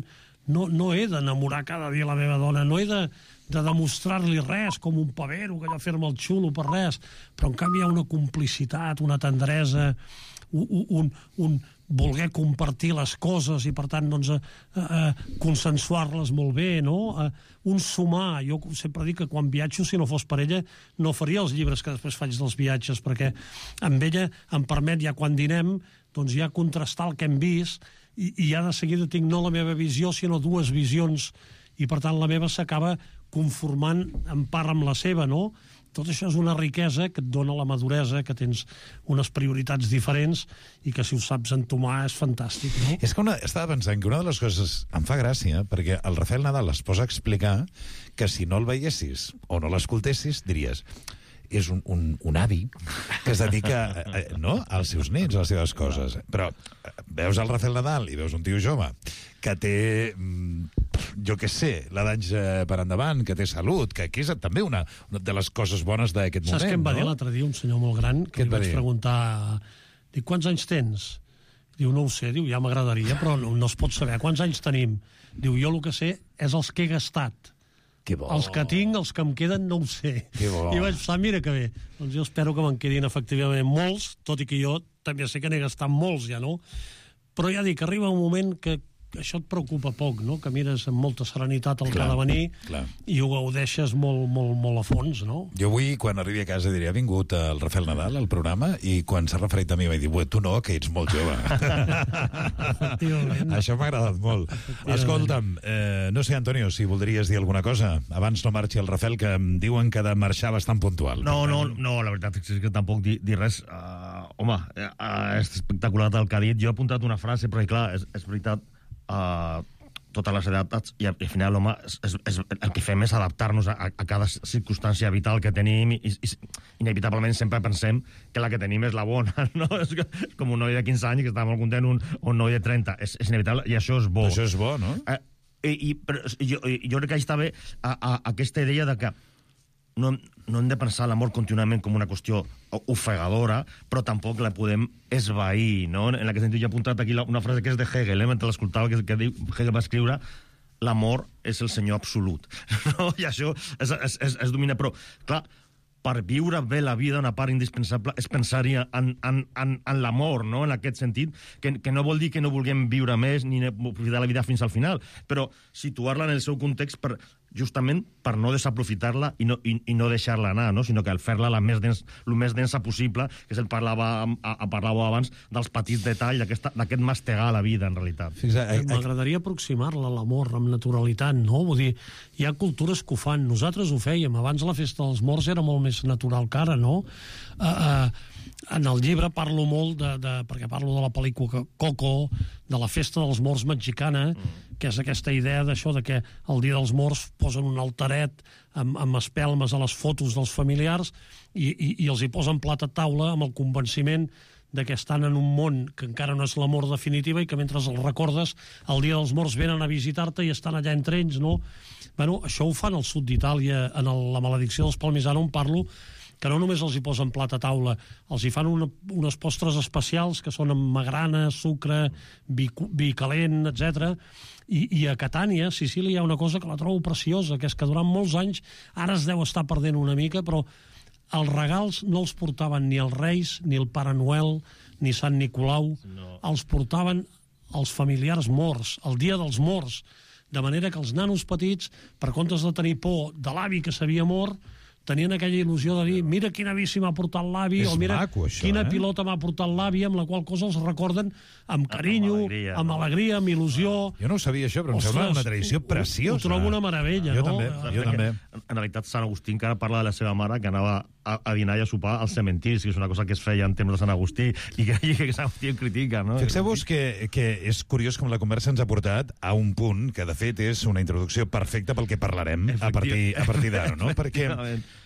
no, no he d'enamorar cada dia la meva dona, no he de, de demostrar-li res com un pavero, que allò fer-me el xulo per res, però en canvi hi ha una complicitat, una tendresa, un, un, un voler compartir les coses i per tant doncs, eh, eh, consensuar-les molt bé, no? Eh, un sumar. Jo sempre dic que quan viatjo, si no fos per ella, no faria els llibres que després faig dels viatges, perquè amb ella em permet, ja quan dinem, doncs ja contrastar el que hem vist i, i ja de seguida tinc no la meva visió, sinó dues visions, i per tant la meva s'acaba conformant en part amb la seva, no? Tot això és una riquesa que et dona la maduresa, que tens unes prioritats diferents i que si ho saps entomar és fantàstic, no? És que una, estava pensant que una de les coses em fa gràcia, perquè el Rafael Nadal es posa a explicar que si no el veiessis o no l'escoltessis, diries és un, un, un avi que es dedica a, no, als seus nets, a les seves coses. Però veus el Rafael Nadal i veus un tio jove que té, jo què sé, l'edat per endavant, que té salut, que, que és també una, una de les coses bones d'aquest moment. Saps què em va no? dir l'altre dia un senyor molt gran, que li vaig dir? preguntar, dic, quants anys tens? Diu, no ho sé, diu, ja m'agradaria, però no, no es pot saber. Quants anys tenim? Diu, jo el que sé és els que he gastat. Que bo. Els que tinc, els que em queden, no ho sé. Que bo. I vaig pensar, mira que bé. Doncs jo espero que me'n quedin efectivament molts, tot i que jo també sé que n'he gastat molts, ja, no? Però ja dic, arriba un moment que això et preocupa poc, no? Que mires amb molta serenitat el clar, que ha de venir clar. I ho gaudeixes molt, molt, molt a fons, no? Jo avui, quan arribi a casa, diré, ha vingut el Rafael Nadal al programa i quan s'ha referit a mi vaig dir, tu no, que ets molt jove. Això m'ha agradat molt. Escolta'm, eh, no sé, Antonio, si voldries dir alguna cosa. Abans no marxi el Rafael, que em diuen que ha de marxar bastant puntual. No, no, no, la veritat és que tampoc dir, dir res. Uh, home, uh, és espectacular el que ha dit. Jo he apuntat una frase, però clar, és, és veritat, Uh, totes les edats i, i al final home, és, és, el que fem és adaptar-nos a, a cada circumstància vital que tenim i, i inevitablement sempre pensem que la que tenim és la bona, no? És, que, és com un noi de quinze anys que està molt content, un, un noi de trenta, és, és inevitable i això és bo. Això és bo, no? Uh, i, i, però, jo, jo crec que està bé a, a, aquesta idea de que no, no hem de pensar l'amor contínuament com una qüestió ofegadora, però tampoc la podem esvair, no? En aquest sentit, jo he apuntat aquí una frase que és de Hegel, eh? Mentre l'escoltava, que, que Hegel va escriure l'amor és el senyor absolut. No? I això és, és, és, és domina, però, clar, per viure bé la vida, una part indispensable és pensar-hi en, en, en, en l'amor, no? En aquest sentit, que, que no vol dir que no vulguem viure més ni aprofitar la vida fins al final, però situar-la en el seu context per, justament per no desaprofitar-la i no, i, i no deixar-la anar, no? Sinó que al fer-la la més dens, el més densa possible, que se'l parlava, a, a parlava abans dels petits detalls, d'aquest mastegar la vida, en realitat. M'agradaria aproximar-la a l'amor amb naturalitat, no? Vull dir, hi ha cultures que ho fan, nosaltres ho fèiem, abans la festa dels morts era molt més natural que ara, no? Uh, uh, en el llibre parlo molt, de, de, perquè parlo de la pel·lícula Coco, de la festa dels morts mexicana, mm. que és aquesta idea d'això de que el dia dels morts posen un alteret amb, amb espelmes a les fotos dels familiars i, i, i els hi posen plat a taula amb el convenciment de que estan en un món que encara no és la mort definitiva i que mentre els recordes el dia dels morts venen a visitar-te i estan allà entre ells, no? Bueno, això ho fan al sud d'Itàlia, en el, la maledicció dels Palmisano, on parlo, que no només els hi posen plat a taula, els hi fan una, unes postres especials que són amb magrana, sucre, vi, vi calent, etcètera. I, I a Catània, a Sicília, hi ha una cosa que la trobo preciosa, que és que durant molts anys, ara es deu estar perdent una mica, però els regals no els portaven ni els Reis, ni el Pare Noel, ni Sant Nicolau, no. Els portaven els familiars morts, el dia dels morts, de manera que els nanos petits, per comptes de tenir por de l'avi que s'havia mort, tenien aquella il·lusió de dir, mira quina bici m'ha portat l'avi, o mira maco, això, quina eh? pilota m'ha portat l'avi, amb la qual cosa els recorden amb carinyo, amb alegria, amb, alegria, amb il·lusió. Jo no ho sabia, això, però em sembla una tradició preciosa. Ho trobo una meravella, jo no? També, jo també. En realitat, Sant Agustí encara parla de la seva mare que anava a, a dinar i a sopar als cementiris, que és una cosa que es feia en temps de Sant Agustí, i que, i que Sant Agustí en critica, no? Fixeu-vos que, que és curiós com la conversa ens ha portat a un punt que, de fet, és una introducció perfecta pel que parlarem a partir, a partir d'ara, no? Perquè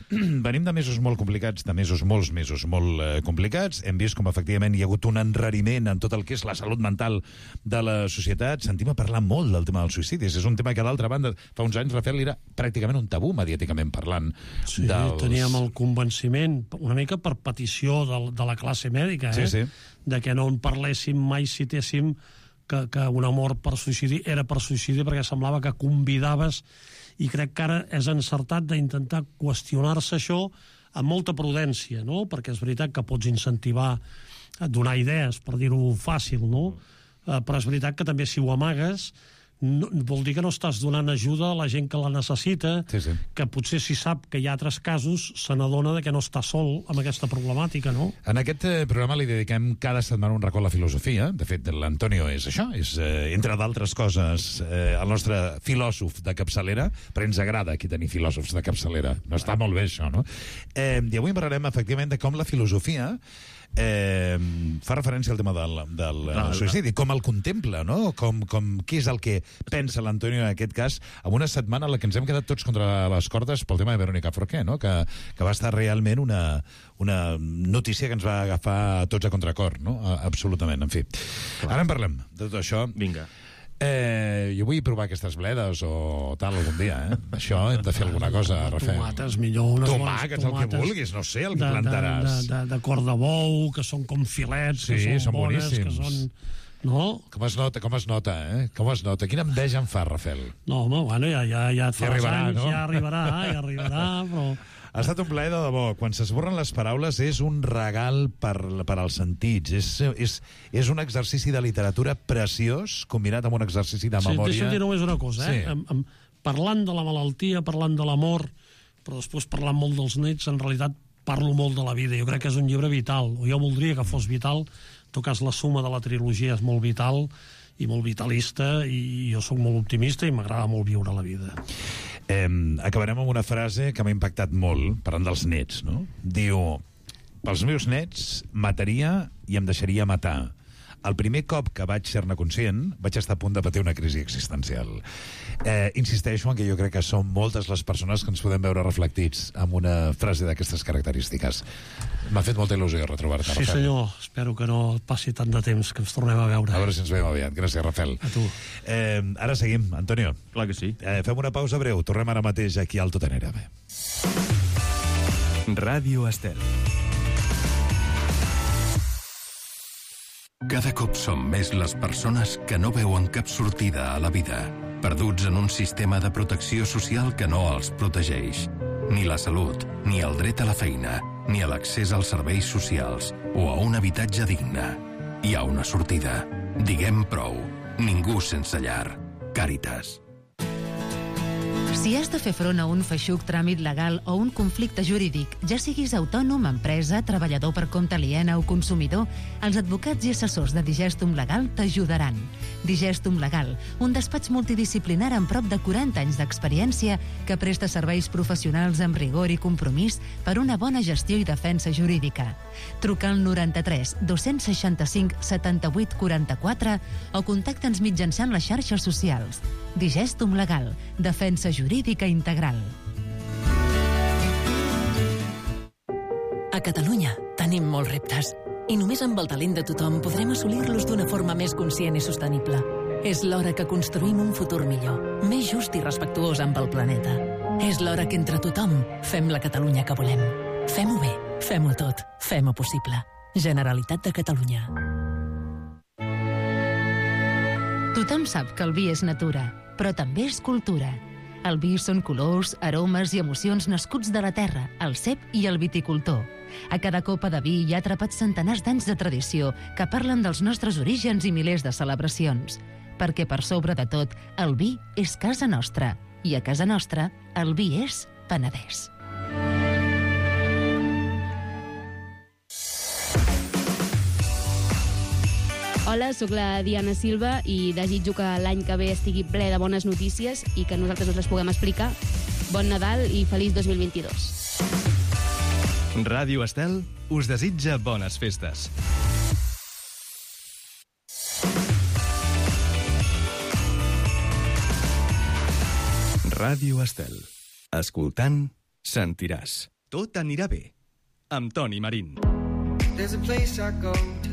venim de mesos molt complicats, de mesos, molts mesos molt eh, complicats. Hem vist com, efectivament, hi ha hagut un enrariment en tot el que és la salut mental de la societat. Sentim a parlar molt del tema dels suïcidis. És un tema que, d'altra banda, fa uns anys, Rafael, era pràcticament un tabú mediàticament parlant. Sí, dels... teníem el convenciment, una mica per petició de, de la classe mèdica, eh? Sí, sí. De que no en parléssim, mai citéssim que, que un amor per suïcidi era per suïcidi perquè semblava que convidaves, i crec que ara és encertat d'intentar qüestionar-se això amb molta prudència, no? Perquè és veritat que pots incentivar a donar idees, per dir-ho fàcil, no? Uh, però és veritat que també si ho amagues no, vol dir que no estàs donant ajuda a la gent que la necessita, sí, sí. que potser si sap que hi ha altres casos se n'adona que no està sol amb aquesta problemàtica, no? En aquest eh, programa li dediquem cada setmana un racó a la filosofia. De fet, l'Antonio és això, és, eh, entre d'altres coses, eh, el nostre filòsof de capçalera, però ens agrada aquí tenir filòsofs de capçalera. No està molt bé, això, no? Eh, I avui parlarem, efectivament, de com la filosofia eh, fa referència al tema del, del ah, suïcidi, com el contempla, no? Com, com, què és el que pensa l'Antonio en aquest cas, en una setmana en la que ens hem quedat tots contra les cordes pel tema de Verónica Forqué, no? Que, que va estar realment una, una notícia que ens va agafar tots a contracor, no? Absolutament, en fi. Ara en parlem de tot això. Vinga. Eh, jo vull provar aquestes bledes o tal algun dia, eh? Això hem de fer alguna cosa, Rafael. Tomates, millor. Unes Tomàquets, el que vulguis, no sé, el que de, plantaràs. De, de, de, de cor de bou, que són com filets, sí, que són, són bones, boníssims. que són... No? Com es nota, com es nota, eh? Com es nota. Quina enveja em fa, Rafael. No, home, bueno, ja, ja, ja et Ja faràs arribarà, anys, no? ja arribarà, ja arribarà, però... Ha estat un plaer de debò. Quan s'esborren les paraules és un regal per, per als sentits. És, és, és un exercici de literatura preciós, combinat amb un exercici de memòria. Sí, deixa'm dir només una cosa, eh? Sí. Am, am, parlant de la malaltia, parlant de l'amor, però després parlant molt dels nets, en realitat parlo molt de la vida. Jo crec que és un llibre vital, o jo voldria que fos vital. En tot cas, la suma de la trilogia és molt vital i molt vitalista, i jo sóc molt optimista i m'agrada molt viure la vida. Eh, acabarem amb una frase que m'ha impactat molt, parlant dels nets, no? Diu, pels meus nets mataria i em deixaria matar. El primer cop que vaig ser-ne conscient vaig estar a punt de patir una crisi existencial. Eh, insisteixo en que jo crec que són moltes les persones que ens podem veure reflectits amb una frase d'aquestes característiques. M'ha fet molta il·lusió retrobar-te, Sí, Rafael. senyor. Espero que no passi tant de temps, que ens tornem a veure. A veure si ens veiem aviat. Gràcies, Rafael. A tu. Eh, ara seguim, Antonio. Clar que sí. Eh, fem una pausa breu. Tornem ara mateix aquí al Tot Tenerife. Ràdio Estel. Cada cop som més les persones que no veuen cap sortida a la vida, perduts en un sistema de protecció social que no els protegeix. Ni la salut, ni el dret a la feina, ni a l'accés als serveis socials o a un habitatge digne. Hi ha una sortida. Diguem prou. Ningú sense llar. Càritas. Si has de fer front a un feixuc tràmit legal o un conflicte jurídic, ja siguis autònom, empresa, treballador per compte aliena o consumidor, els advocats i assessors de Digestum Legal t'ajudaran. Digestum Legal, un despatx multidisciplinar amb prop de quaranta anys d'experiència que presta serveis professionals amb rigor i compromís per una bona gestió i defensa jurídica. Truca al noranta-tres dos-cents seixanta-cinc setanta-vuit quaranta-quatre o contacta'ns mitjançant les xarxes socials. Digestum Legal, defensa jurídica integral. A Catalunya tenim molts reptes i només amb el talent de tothom podrem assolir-los d'una forma més conscient i sostenible. És l'hora que construïm un futur millor, més just i respectuós amb el planeta. És l'hora que entre tothom fem la Catalunya que volem. Fem-ho bé, fem-ho tot, fem-ho possible. Generalitat de Catalunya. Tothom sap que el vi és natura, però també és cultura. El vi són colors, aromes i emocions nascuts de la terra, el cep i el viticultor. A cada copa de vi hi ha atrapats centenars d'anys de tradició que parlen dels nostres orígens i milers de celebracions. Perquè per sobre de tot, el vi és casa nostra. I a casa nostra, el vi és Penedès. Hola, sóc la Diana Silva i desitjo que l'any que ve estigui ple de bones notícies i que nosaltres us les puguem explicar. Bon Nadal i feliç dos mil vint-i-dos. Ràdio Estel us desitja bones festes. Ràdio Estel. Escoltant, sentiràs. Tot anirà bé. Amb Toni Marín. There's a place I go to.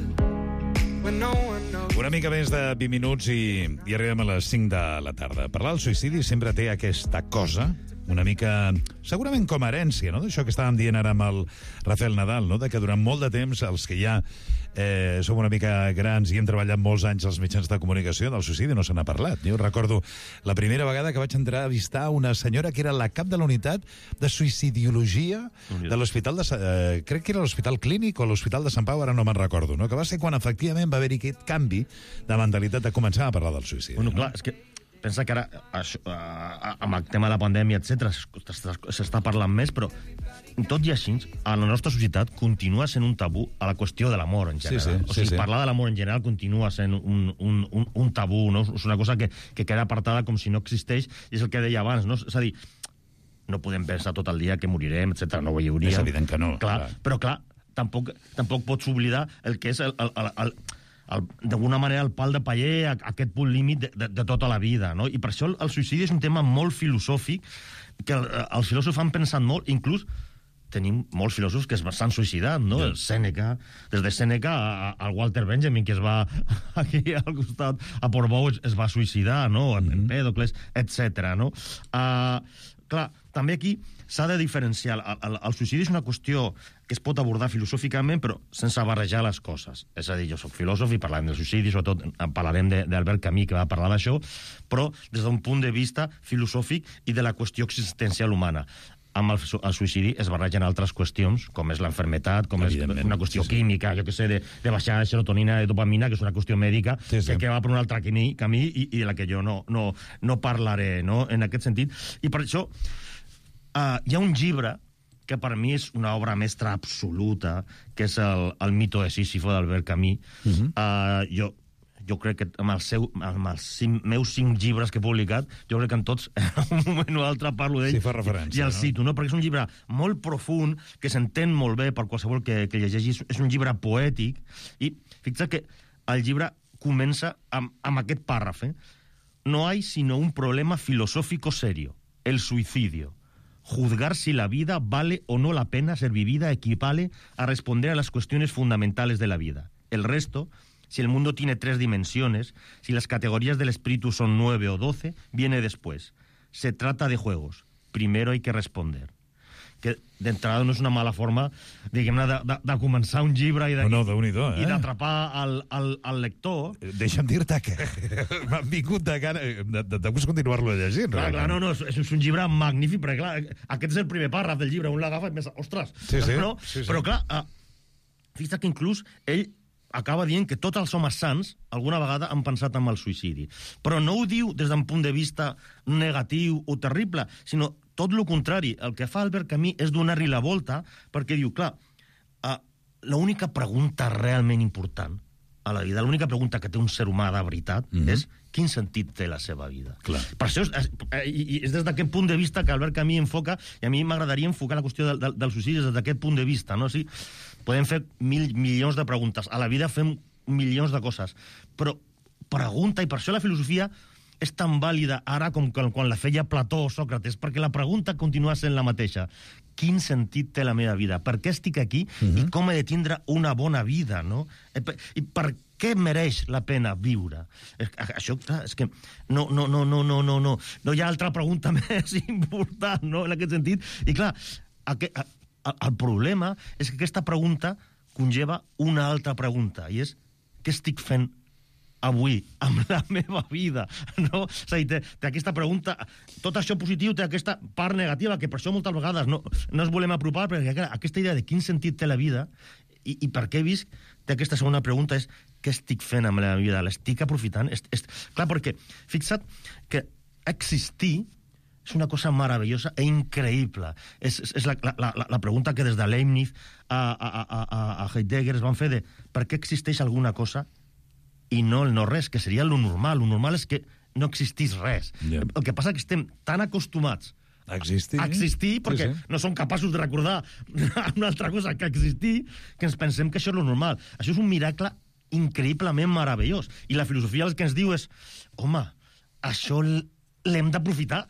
Una mica més de vint minuts i, i arribem a les cinc de la tarda. Parlar del suïcidi sempre té aquesta cosa una mica, segurament com a herència, no? D'això que estàvem dient ara amb el Rafael Nadal, no? De que durant molt de temps els que ja eh, som una mica grans i hem treballat molts anys als mitjans de comunicació, del suïcidi no se n'ha parlat. Jo recordo la primera vegada que vaig entrar a visitar una senyora que era la cap de la unitat de suïcidiologia de l'hospital de... Eh, crec que era l'Hospital Clínic o l'Hospital de Sant Pau, ara no me'n recordo, no? Que va ser quan efectivament va haver-hi aquest canvi de mentalitat de començar a parlar del suïcidi. Bueno, clar, és que pensa que ara, això, amb el tema de la pandèmia, etcètera, s'està parlant més, però tot i així, a la nostra societat continua sent un tabú a la qüestió de l'amor, en general. Sí, sí, o sigui, sí, sí. Parlar de l'amor en general continua sent un, un, un, un tabú, no? És una cosa que, que queda apartada com si no existeix, i és el que deia abans, no? És a dir, no podem pensar tot el dia que morirem, etcètera, no ho hi hauria. És evident que no. Clar, clar. Però, clar, tampoc, tampoc pots oblidar el que és el... el, el, el d'alguna manera el pal de paller a aquest punt límit de, de, de tota la vida, no? I per això el, el suïcidi és un tema molt filosòfic que el, els filòsofs han pensat molt, inclús tenim molts filòsofs que s'han suïcidat, no? Yeah. El Sèneca, des de Sèneca al Walter Benjamin, que es va aquí al costat a Portbou, es, es va suïcidar, no? Mm-hmm. Empèdocles, etcètera, no? Uh, clar, també aquí s'ha de diferenciar. El, el, el suïcidi és una qüestió que es pot abordar filosòficament, però sense barrejar les coses. És a dir, jo soc filòsof i parlarem del suïcidi, sobretot parlarem d'Albert Camus, que va parlar d'això, però des d'un punt de vista filosòfic i de la qüestió existencial humana. Amb el, el suïcidi es barregen altres qüestions, com és l'enfermetat, com és una qüestió sí, sí. química, jo què sé, de, de baixar de serotonina, de dopamina, que és una qüestió mèdica, sí, sí. Que, que va per un altre camí, camí i, i de la que jo no, no, no parlaré, no?, en aquest sentit. I per això uh, hi ha un llibre que per mi és una obra mestra absoluta, que és el, el mito de Sísifo d'Albert Camus. Uh-huh. uh, jo, jo crec que amb, el seu, amb els cinc, meus cinc llibres que he publicat, jo crec que en tots, en un moment o altre, parlo d'ell sí, fa referència, i el no? cito, no? Perquè és un llibre molt profund, que s'entén molt bé per qualsevol que, que llegeixi. És un llibre poètic, i fixa't que el llibre comença amb, amb aquest pàrraf. Eh? No hay sino un problema filosófico serio, el suicidio. Juzgar si la vida vale o no la pena ser vivida equivale a responder a las cuestiones fundamentales de la vida. El resto, si el mundo tiene tres dimensiones, si las categorías del espíritu son nueve o doce, viene después. Se trata de juegos. Primero hay que responder. Que d'entrada no és una mala forma, diguem-ne, de, de, de començar un llibre i de, no, no, eh? i d'atrapar el, el, el lector. Deixa'm dir-te que m'han vingut de gana de, de, de continuar-lo llegint. Clar, clar, no, no, és, és un llibre magnífic, perquè clar, aquest és el primer pàrraf del llibre, un l'agafa i més, ostres, sí, sí, no? Sí, sí. Però clar, uh, fixa't que inclús ell acaba dient que tots els homes sants alguna vegada han pensat en el suïcidi. Però no ho diu des d'un punt de vista negatiu o terrible, sinó tot el contrari. El que fa Albert Camus és donar-li la volta, perquè diu, clar, uh, l'única pregunta realment important a la vida, l'única pregunta que té un ser humà de veritat, mm-hmm. és quin sentit té la seva vida. Clar. Per això és, és, és des d'aquest punt de vista que Albert Camus enfoca, i a mi m'agradaria enfocar la qüestió del, del, del suïcidi des d'aquest punt de vista, no? Sí, podem fer mil milions de preguntes. A la vida fem milions de coses. Però pregunta, i per això la filosofia és tan vàlida ara com quan la feia Plató o Sòcrates, perquè la pregunta continua sent la mateixa. Quin sentit té la meva vida? Per què estic aquí? Uh-huh. I com he de tindre una bona vida, no? I per què mereix la pena viure? Això, clar, és que no, no, no, no, no, no, no. No hi ha altra pregunta més important, no?, en aquest sentit. I clar, aquest, el problema és que aquesta pregunta conlleva una altra pregunta, i és què estic fent avui, amb la meva vida, no? És a dir, té, té aquesta pregunta, tot això positiu té aquesta part negativa, que per això moltes vegades no, no ens volem apropar, perquè clar, aquesta idea de quin sentit té la vida i, i per què visc, té aquesta segona pregunta, és què estic fent amb la meva vida? L'estic aprofitant? Est, est... Clar, perquè fixa't que existir és una cosa meravellosa e increïble. És, és, és la, la, la pregunta que des de Leibniz a, a, a, a Heidegger es van fer de per què existeix alguna cosa i no el no res, que seria lo normal. Lo normal és que no existís res. Yeah. El que passa és que estem tan acostumats a existir, a existir perquè sí, sí. no som capaços de recordar una altra cosa que existir, que ens pensem que això és lo normal. Això és un miracle increïblement meravellós. I la filosofia el que ens diu és, home, això l'hem d'aprofitar.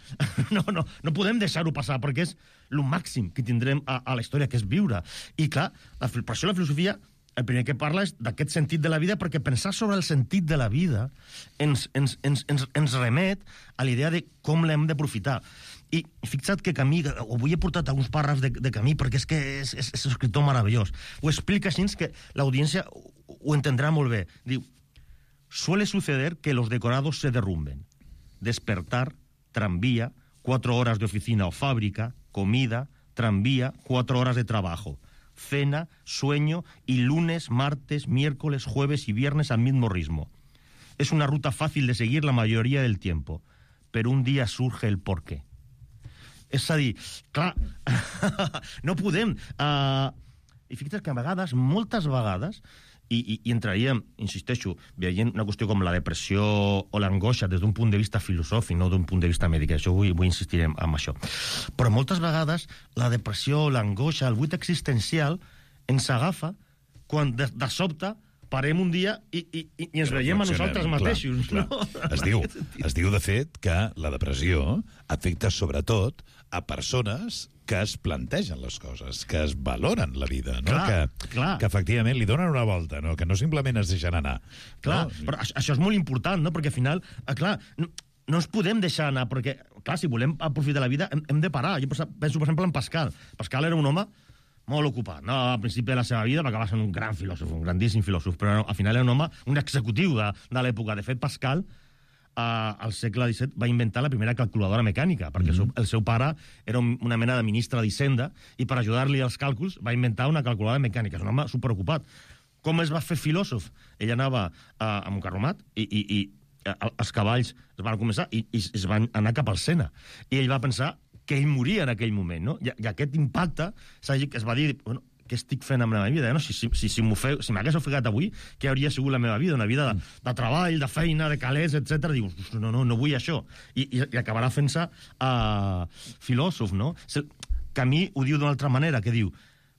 No, no, no podem deixar-ho passar, perquè és lo màxim que tindrem a, a la història, que és viure. I clar, la, per això la filosofia el primer que parla és d'aquest sentit de la vida, perquè pensar sobre el sentit de la vida ens, ens, ens, ens, ens remet a l'idea de com l'hem d'aprofitar. I fixa't que Camí, avui he portat alguns pàrrafs de, de Camí perquè és que és, és, és un escriptor meravellós. Ho explica així que l'audiència ho entendrà molt bé. Diu, suele suceder que los decorados se derrumben. Despertar, tranvía, cuatro horas de oficina o fábrica, comida, tranvía, cuatro horas de trabajo. Cena, sueño y lunes, martes, miércoles, jueves y viernes al mismo ritmo. Es una ruta fácil de seguir la mayoría del tiempo, pero un día surge el porqué. És a dir, clar, no podem... Uh, I fixa't que a vegades, moltes vegades, i, i, i entraríem, insisteixo, veient una qüestió com la depressió o l'angoixa des d'un punt de vista filosòfic, no d'un punt de vista mèdic, això vull, vull insistir en això. Però moltes vegades la depressió, l'angoixa, el buit existencial ens agafa quan de, de sobte parem un dia i, i, i ens veiem a nosaltres mateixos. Clar, clar. No? Es, diu, es diu, de fet, que la depressió afecta sobretot a persones que es plantegen les coses, que es valoren la vida, no? Clar, que, clar. que efectivament li donen una volta, no? Que no simplement es deixen anar. Clar, no? Però això és molt important, no? Perquè al final, eh, clar, no, no ens podem deixar anar, perquè, clar, si volem aprofitar la vida, hem, hem de parar. Jo penso, per exemple, en Pascal. Pascal era un home molt ocupat, no? Al principi de la seva vida va acabar sent un gran filòsof, un grandíssim filòsof, però al final era un home, un executiu de, de l'època. De fet, Pascal, eh, al segle disset, va inventar la primera calculadora mecànica, perquè mm. el, seu, el seu pare era un, una mena de ministre d'Hisenda, i per ajudar-li als càlculs va inventar una calculadora mecànica. És un home superocupat. Com es va fer filòsof? Ell anava eh, amb un carromat i, i, i els cavalls es van començar i, i es van anar cap al Sena. I ell va pensar que ell moria en aquell moment, no? I, i aquest impacte es va dir, bueno, què estic fent amb la meva vida? No? Si, si, si, si m'hagués ofegat avui, què hauria sigut la meva vida? Una vida de, de treball, de feina, de calés, etcètera. Dius, no, no, no vull això. I, i, i acabarà fent-se uh, filòsof, no? Camí ho diu d'una altra manera, que diu,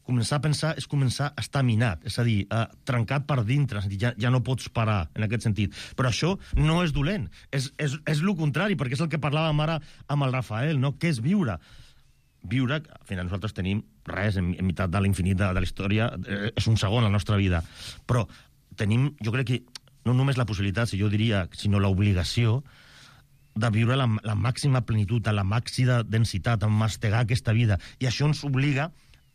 començar a pensar és començar a estar minat, és a dir, uh, trencat per dintre, és a dir, ja, ja no pots parar en aquest sentit. Però això no és dolent, és, és, és el contrari, perquè és el que parlàvem ara amb el Rafael, no? Què és viure? Viure, al final nosaltres tenim res en, en meitat de l'infinit de, de la història, eh, és un segon a la nostra vida, però tenim, jo crec que no només la possibilitat, si jo diria, sinó l'obligació de viure la, la màxima plenitud, la màxima densitat, a mastegar aquesta vida, i això ens obliga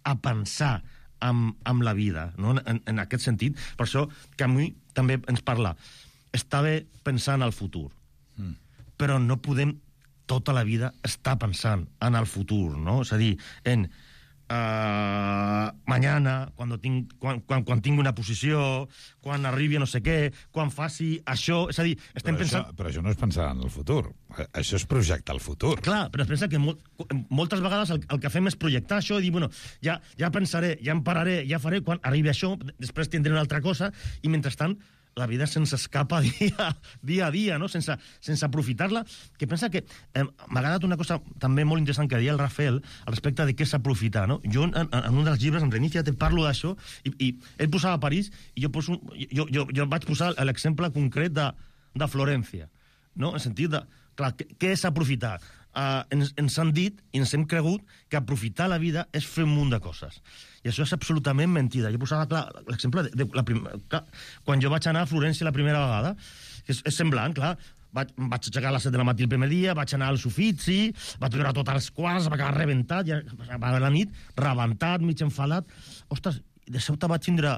a pensar amb, amb la vida, no? en, en aquest sentit. Per això Camus també ens parla, està bé pensar en el futur, mm. però no podem tota la vida estar pensant en el futur, no? És a dir, en uh, mañana, quan, tinc, quan, quan, quan tingui una posició, quan arribi a no sé què, quan faci això... És a dir, estem però pensant... Això, però això no és pensar en el futur. Això és projectar el futur. Clar, però es pensa que molt, moltes vegades el, el que fem és projectar això i dir, bueno, ja, ja pensaré, ja em pararé, ja faré, quan arribi això, després tindré una altra cosa, i mentrestant la vida se'ns escapa dia, dia a dia, no? sense, sense aprofitar-la, que pensa que eh, m'ha agradat una cosa també molt interessant que deia el Rafael al respecte de què s'aprofitar, no? Jo en, en un dels llibres, en Reinicia, te parlo d'això, i, i ell posava París, i jo, poso, jo, jo, jo vaig posar l'exemple concret de, de Florència, no? En sentit de, clar, què, què és aprofitar? Uh, ens, ens han dit i ens hem cregut que aprofitar la vida és fer un munt de coses. I això és absolutament mentida. Jo posava clar l'exemple de, de la prim... clar, quan jo vaig anar a Florència la primera vegada, és, és semblant, clar, vaig, vaig aixecar a les set de la matí el primer dia, vaig anar als Uffizi, vaig veure tots els quarts, va acabar rebentat, ja, a la nit, rebentat, mig enfadat. Ostres, de sobte vaig tindre,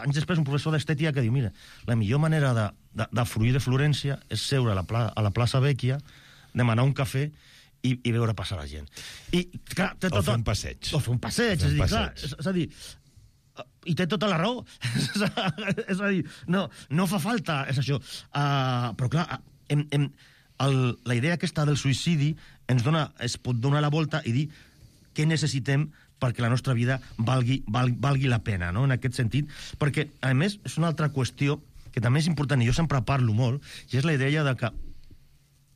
anys després, un professor d'estètica que diu, mira, la millor manera de, de, de fruir de Florència és seure a la, pla, a la plaça Vecchia, demanar un cafè i, i veure passar la gent. I, clar, té tot, o fer un passeig. O fer un passeig, és, dir, clar, és, és a dir, i té tota la raó. És a dir, no, no fa falta, és això. Uh, però clar, hem, hem, el, la idea aquesta del suïcidi ens dona, es pot donar la volta i dir què necessitem perquè la nostra vida valgui, val, valgui la pena, no? En aquest sentit, perquè, a més, és una altra qüestió que també és important, i jo sempre parlo molt, i és la idea de que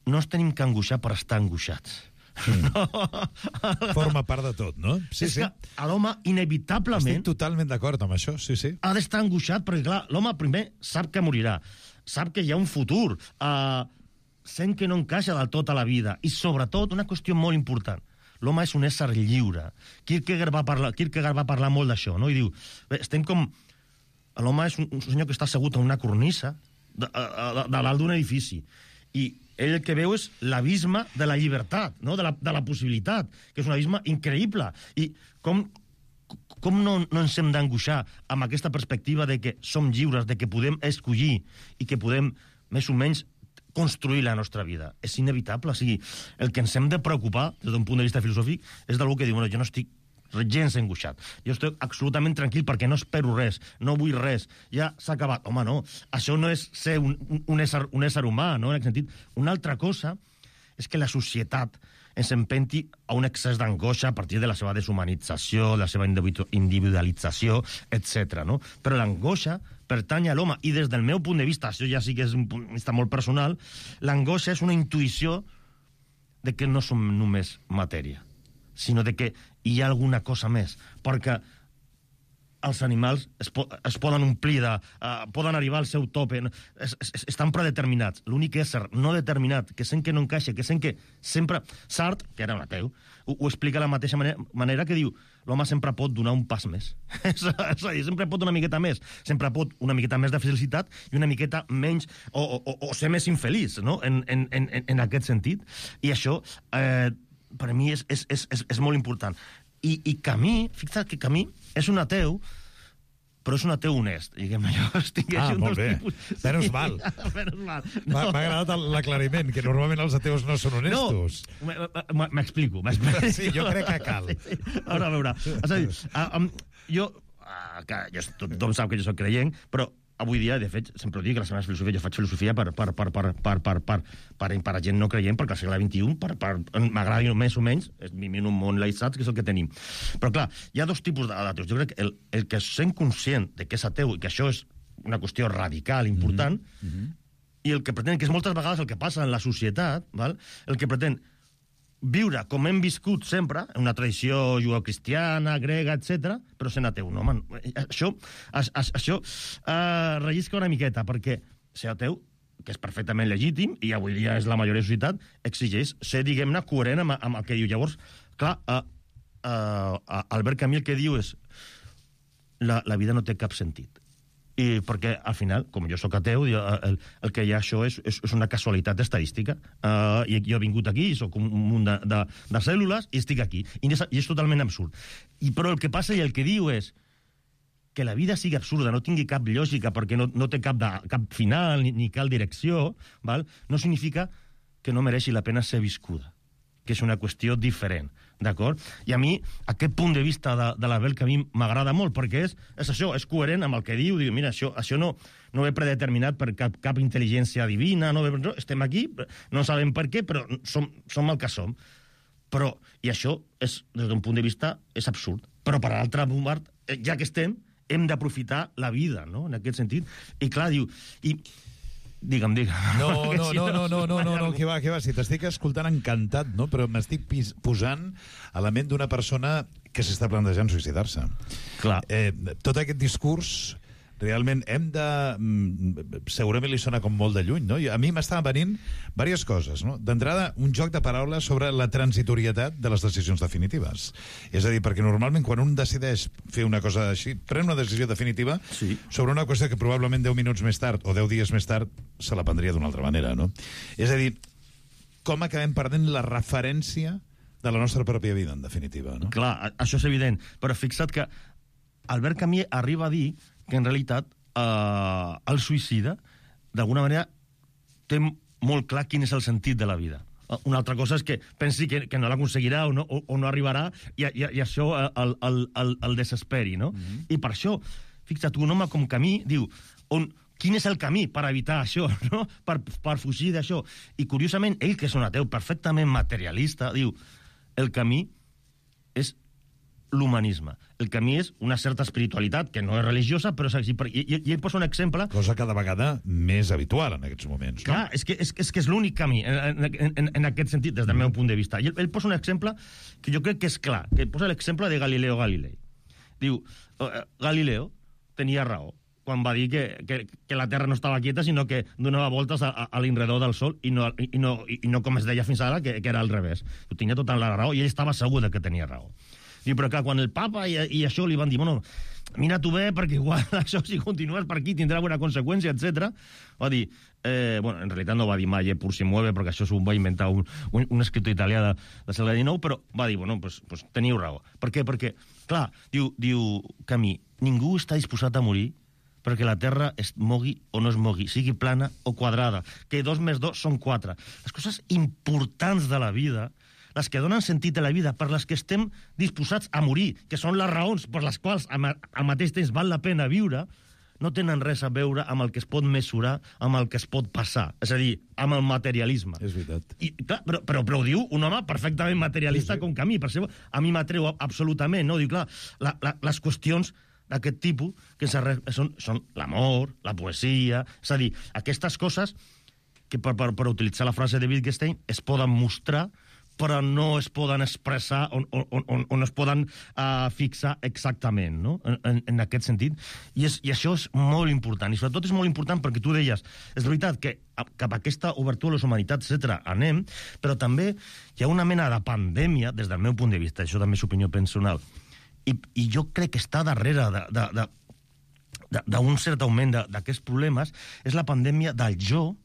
no ens tenim que angoixar per estar angoixats. Mm. No. Forma part de tot, no? Sí, és sí. que l'home, inevitablement... Estic totalment d'acord amb això, sí, sí. Ha d'estar angoixat, perquè, clar, l'home primer sap que morirà, sap que hi ha un futur, uh, sent que no encaixa del tot a la vida, i sobretot, una qüestió molt important, l'home és un ésser lliure. Kierkegaard va parlar, Kierkegaard va parlar molt d'això, no? I diu, bé, estem com... L'home és un, un senyor que està assegut en una cornisa de, de, de dalt d'un edifici, i ell el que veu és l'abisme de la llibertat, no? de, la, de la possibilitat, que és un abisme increïble. I com, com no, no ens hem d'angoixar amb aquesta perspectiva de que som lliures, de que podem escollir i que podem, més o menys, construir la nostra vida? És inevitable. O sigui, el que ens hem de preocupar, des d'un punt de vista filosòfic, és d'algú que diu, bueno, jo no estic gens angoixat. Jo estic absolutament tranquil perquè no espero res, no vull res, ja s'ha acabat. Home, no, això no és ser un, un, ésser, un ésser humà, no? En aquest sentit. Una altra cosa és que la societat ens empenti a un excés d'angoixa a partir de la seva deshumanització, la seva individualització, etcètera. No? Però l'angoixa pertany a l'home, i des del meu punt de vista, això ja sí que és un punt de vista molt personal, l'angoixa és una intuïció de que no som només matèria, sinó de que hi ha alguna cosa més, perquè els animals es, po es poden omplir, de, uh, poden arribar al seu tope, es, es, estan predeterminats. L'únic ésser no determinat, que sent que no encaixa, que sent que sempre... Sartre, que era un ateu, ho, ho explica de la mateixa manera, manera que diu l'home sempre pot donar un pas més. és a dir, sempre pot una miqueta més. Sempre pot una miqueta més de felicitat i una miqueta menys... o, o, o ser més infeliç, no? En, en, en, en aquest sentit. I això, eh, per a mi, és, és, és, és molt important. I, i Camí, fixa't que Camí és un ateu, però és un ateu honest, diguem-ne. Ah, molt bé. Menys mal. Menys mal. M'ha agradat l'aclariment, que normalment els ateus no són honestos. No, m'explico. Sí, jo crec que cal. Ara, a veure, és a dir, jo, tothom sap que jo soc creient, però avui dia, de fet, sempre ho dic, que la meva filosofia, jo faig filosofia per, per, per, per, per, per, per, per, per a gent no creient, perquè al segle vint-i-u m'agrada més o menys, vivim en un món laïtzat, que és el que tenim. Però clar, hi ha dos tipus d'ateus. Jo crec que el, el que sent conscient de que és ateu i que això és una qüestió radical, important, mm-hmm. i el que pretén, que és moltes vegades el que passa en la societat, val? El que pretén viure com hem viscut sempre, en una tradició judeocristiana, grega, etcètera, però sent ateu. No, man, això això uh, rellisca una miqueta, perquè ser ateu, que és perfectament legítim, i avui dia és la majoria de la societat, exigeix ser, diguem-ne, coherent amb, amb el que diu. Llavors, clar, uh, uh, Albert Camus el que diu és la, la vida no té cap sentit. I perquè, al final, com jo sóc ateu, el, el que hi ha això és, és, és una casualitat estadística. Uh, i jo he vingut aquí, sóc un munt de, de, de cèl·lules, i estic aquí. I és, i és totalment absurd. I, però el que passa i el que diu és que la vida sigui absurda, no tingui cap lògica, perquè no, no té cap, de, cap final ni, ni cap direcció, val? No significa que no mereixi la pena ser viscuda, que és una qüestió diferent. D'acord? I a mi, aquest punt de vista de, de l'Abel, que a mi m'agrada molt, perquè és, és això, és coherent amb el que diu, diu, mira, això, això no, no ve predeterminat per cap, cap intel·ligència divina, no ve, no, estem aquí, no sabem per què, però som, som el que som. Però, i això, és, des d'un punt de vista, és absurd. Però, per l'altre part, ja que estem, hem d'aprofitar la vida, no?, en aquest sentit. I clar, diu... I, Digue'm, digue'm. No, no, no, no, no, no, no, no, que va, que va. Si t'estic escoltant encantat, no? Però m'estic posant a la ment d'una persona que s'està plantejant suïcidar-se. Clar. Eh, tot aquest discurs, realment, hem de... Segurament li sona com molt de lluny, no? A mi m'estaven venint diverses coses, no? D'entrada, un joc de paraules sobre la transitorietat de les decisions definitives. És a dir, perquè normalment quan un decideix fer una cosa així, pren una decisió definitiva sí. sobre una qüestió que probablement deu minuts més tard o deu dies més tard se la prendria d'una altra manera, no? És a dir, com acabem perdent la referència de la nostra pròpia vida, en definitiva, no? Clar, això és evident, però fixa't que Albert Camus arriba a dir que en realitat eh, el suïcida, d'alguna manera, té molt clar quin és el sentit de la vida. Una altra cosa és que pensi que, que no l'aconseguirà o, no, o, o no arribarà i, i, i això el, el, el, el desesperi, no? Mm-hmm. I per això, fixa't, un home com Camus diu on, quin és el camí per evitar això, no? Per, per fugir d'això. I curiosament, ell, que és un ateu perfectament materialista, diu el camí és l'humanisme. El camí és una certa espiritualitat, que no és religiosa, però és així. I, i, i ell posa un exemple... Cosa cada vegada més habitual en aquests moments, no? Clar, és que és, és, que és l'únic camí, en, en, en, en aquest sentit, des del meu punt de vista. I ell, ell posa un exemple que jo crec que és clar, que posa l'exemple de Galileo Galilei. Diu, Galileo tenia raó quan va dir que, que, que la Terra no estava quieta, sinó que donava voltes a, a, a l'enredor del Sol, i no, i, no, i no com es deia fins ara, que, que era al revés. Ho tenia tota la raó, i ell estava segur de que tenia raó. Diu, però clar, quan el papa i, i això li van dir, bueno, mira tu bé, perquè igual això, si continues per aquí, tindrà alguna conseqüència, etcètera. Va dir, eh, bueno, en realitat no va dir mai, eh, pur si mueve, perquè això s'ho va inventar un, un, un escriptor italià de, de segle dinou, però va dir, bueno, pues, pues teniu raó. Per què? Perquè, clar, diu, diu Camí, ningú està disposat a morir perquè la Terra es mogui o no es mogui, sigui plana o quadrada, que dos més dos són quatre. Les coses importants de la vida, les que donen sentit a la vida, per les que estem disposats a morir, que són les raons per les quals al mateix temps val la pena viure, no tenen res a veure amb el que es pot mesurar, amb el que es pot passar. És a dir, amb el materialisme. És veritat. I, clar, però, però, però ho diu un home perfectament materialista sí, sí. com Camí. Per això a mi m'atreu absolutament. No? Diu, clar, la, la, les qüestions d'aquest tipus que són, són l'amor, la poesia... És a dir, aquestes coses que, per, per, per utilitzar la frase de Wittgenstein, es poden mostrar, però no es poden expressar o, o, o, o no es poden uh, fixar exactament, no? en, en, en aquest sentit. I, és, I això és molt important. I sobretot és molt important perquè tu deies, és veritat que cap a aquesta obertura a les humanitats, etcètera, anem, però també hi ha una mena de pandèmia, des del meu punt de vista, això també és opinió personal, I, i jo crec que està darrere d'un cert augment d'aquests problemes, és la pandèmia del jo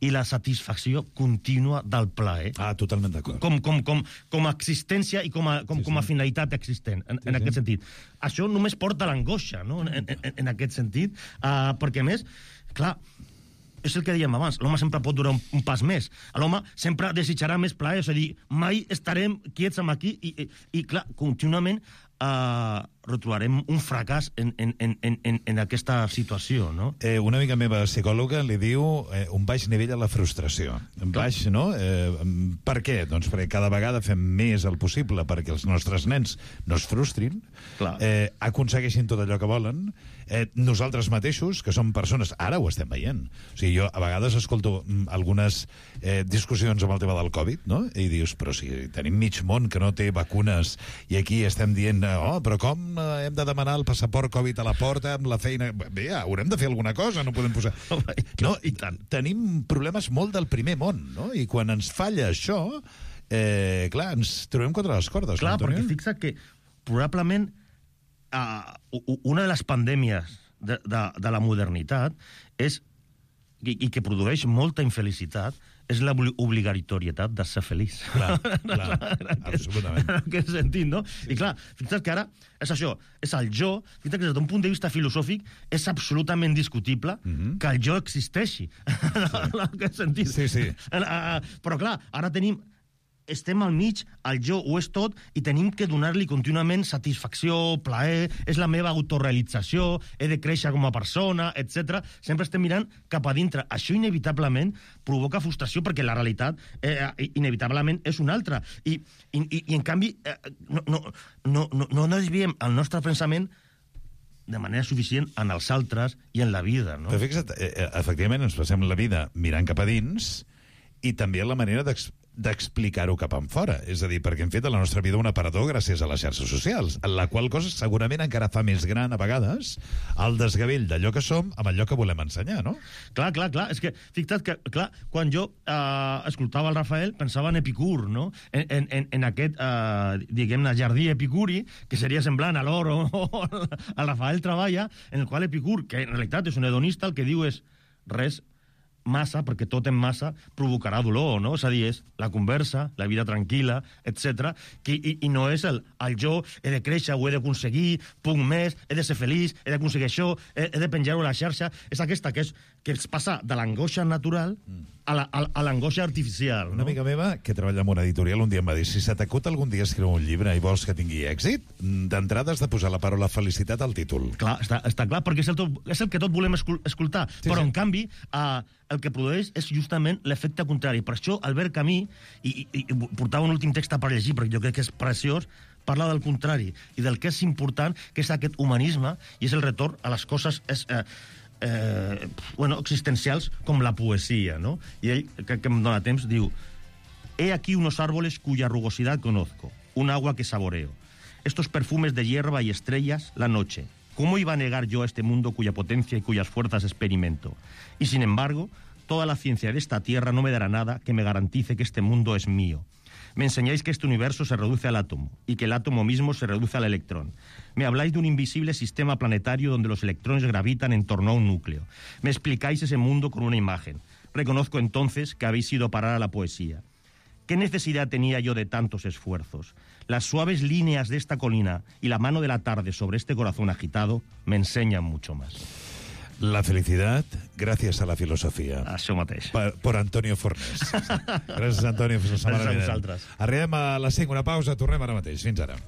i la satisfacció contínua del plaer. Ah, totalment d'acord. Com, com, com, com a existència i com a, com, sí, sí. com a finalitat existent, en, sí, en aquest sí. sentit. Això només porta l'angoixa, no?, en, en, en aquest sentit, uh, perquè, a més, clar, és el que dèiem abans, l'home sempre pot durar un, un pas més. L'home sempre desitjarà més plaer, és a dir, mai estarem quiets amb aquí i, i, i clar, contínuament Uh, retrobarem un fracàs en, en, en, en, en aquesta situació, no? Eh, una amiga meva psicòloga li diu eh, un baix nivell a la frustració. Un baix, no? Eh, per què? Doncs perquè cada vegada fem més el possible perquè els nostres nens no es frustrin, eh, aconsegueixin tot allò que volen. Eh, nosaltres mateixos, que som persones, ara ho estem veient. O sigui, jo a vegades escolto algunes eh, discussions amb el tema del Covid, no? I dius, però si tenim mig món que no té vacunes i aquí estem dient oh, però com hem de demanar el passaport Covid a la porta amb la feina... Bé, ja, haurem de fer alguna cosa, no podem posar... No, i tant. Tenim problemes molt del primer món, no? I quan ens falla això, eh, clar, ens trobem contra les cordes. Clar, no, perquè fixa que probablement uh, una de les pandèmies de, de, de la modernitat és, i, i que produeix molta infelicitat, és l'obligatorietat de ser feliç. Clar, clar, absolutament. En aquest sentit, no? Sí. I clar, fixa't que ara és això, és el jo, fixa't que des d'un punt de vista filosòfic és absolutament discutible mm-hmm. que el jo existeixi. Sí. En aquest sentit. Sí, sí. Però clar, ara tenim... estem al mig, el jo ho és tot, i tenim que donar-li contínuament satisfacció, plaer, és la meva autorealització, he de créixer com a persona, etcètera. Sempre estem mirant cap a dintre. Això inevitablement provoca frustració perquè la realitat eh, inevitablement és una altra. I, i, i en canvi, eh, no, no, no, no, no desviem el nostre pensament de manera suficient en els altres i en la vida, no? Però fixa't, eh, efectivament ens passem la vida mirant cap a dins i també la manera d'explicar-ho cap en fora. És a dir, perquè hem fet a la nostra vida un aparador gràcies a les xarxes socials, en la qual cosa segurament encara fa més gran a vegades el desgavell d'allò que som amb allò que volem ensenyar, no? Clar, clar, clar. És que, fixa't que, clar, quan jo eh, escoltava el Rafael, pensava en Epicur, no? En, en, en aquest, eh, diguem-ne, jardí epicuri, que seria semblant a l'or o al Rafael Treballa, en el qual Epicur, que en realitat és un hedonista, el que diu és res massa, perquè tot en massa provocarà dolor, no? És a dir, és la conversa, la vida tranquil·la, etcètera, que, i, i no és el, el jo, he de créixer, ho he d'aconseguir, puc més, he de ser feliç, he d'aconseguir això, he, he de penjar-ho a la xarxa. És aquesta que, és, que es passa de l'angoixa natural a la, a, a l'angoixa artificial, no? Una amiga meva que treballa en una editorial un dia em va dir, si se t'acut algun dia escriure un llibre i vols que tingui èxit, d'entrada has de posar la paraula felicitat al títol. Clar, està, està clar, perquè és el, tot, és el que tot volem escoltar, sí, però sí. En canvi eh, el que produeix és justament l'efecte contrari. Per això Albert Camus, i, i, i portava un últim text per llegir, perquè jo crec que és preciós, parla del contrari, i del que és important, que és aquest humanisme, i és el retorn a les coses és, eh, eh, bueno, existencials, com la poesia, no? I ell, que, que em dona temps, diu: he aquí unos árboles cuya rugosidad conozco, un agua que saboreo, estos perfumes de hierba y estrellas, la noche. ¿Cómo iba a negar yo a este mundo cuya potencia y cuyas fuerzas experimento? Y sin embargo, toda la ciencia de esta tierra no me dará nada que me garantice que este mundo es mío. Me enseñáis que este universo se reduce al átomo y que el átomo mismo se reduce al electrón. Me habláis de un invisible sistema planetario donde los electrones gravitan en torno a un núcleo. Me explicáis ese mundo con una imagen. Reconozco entonces que habéis ido a parar a la poesía. ¿Qué necesidad tenía yo de tantos esfuerzos? Las suaves líneas de esta colina y la mano de la tarde sobre este corazón agitado me enseñan mucho más. La felicidad gràcies a la filosofia. Això mateix. Per, por Antonio Fornés. Gràcies, Antonio. Fins la setmana Gràcies a vinent. vosaltres. Arribem a les cinc, una pausa, tornem ara mateix. Fins ara.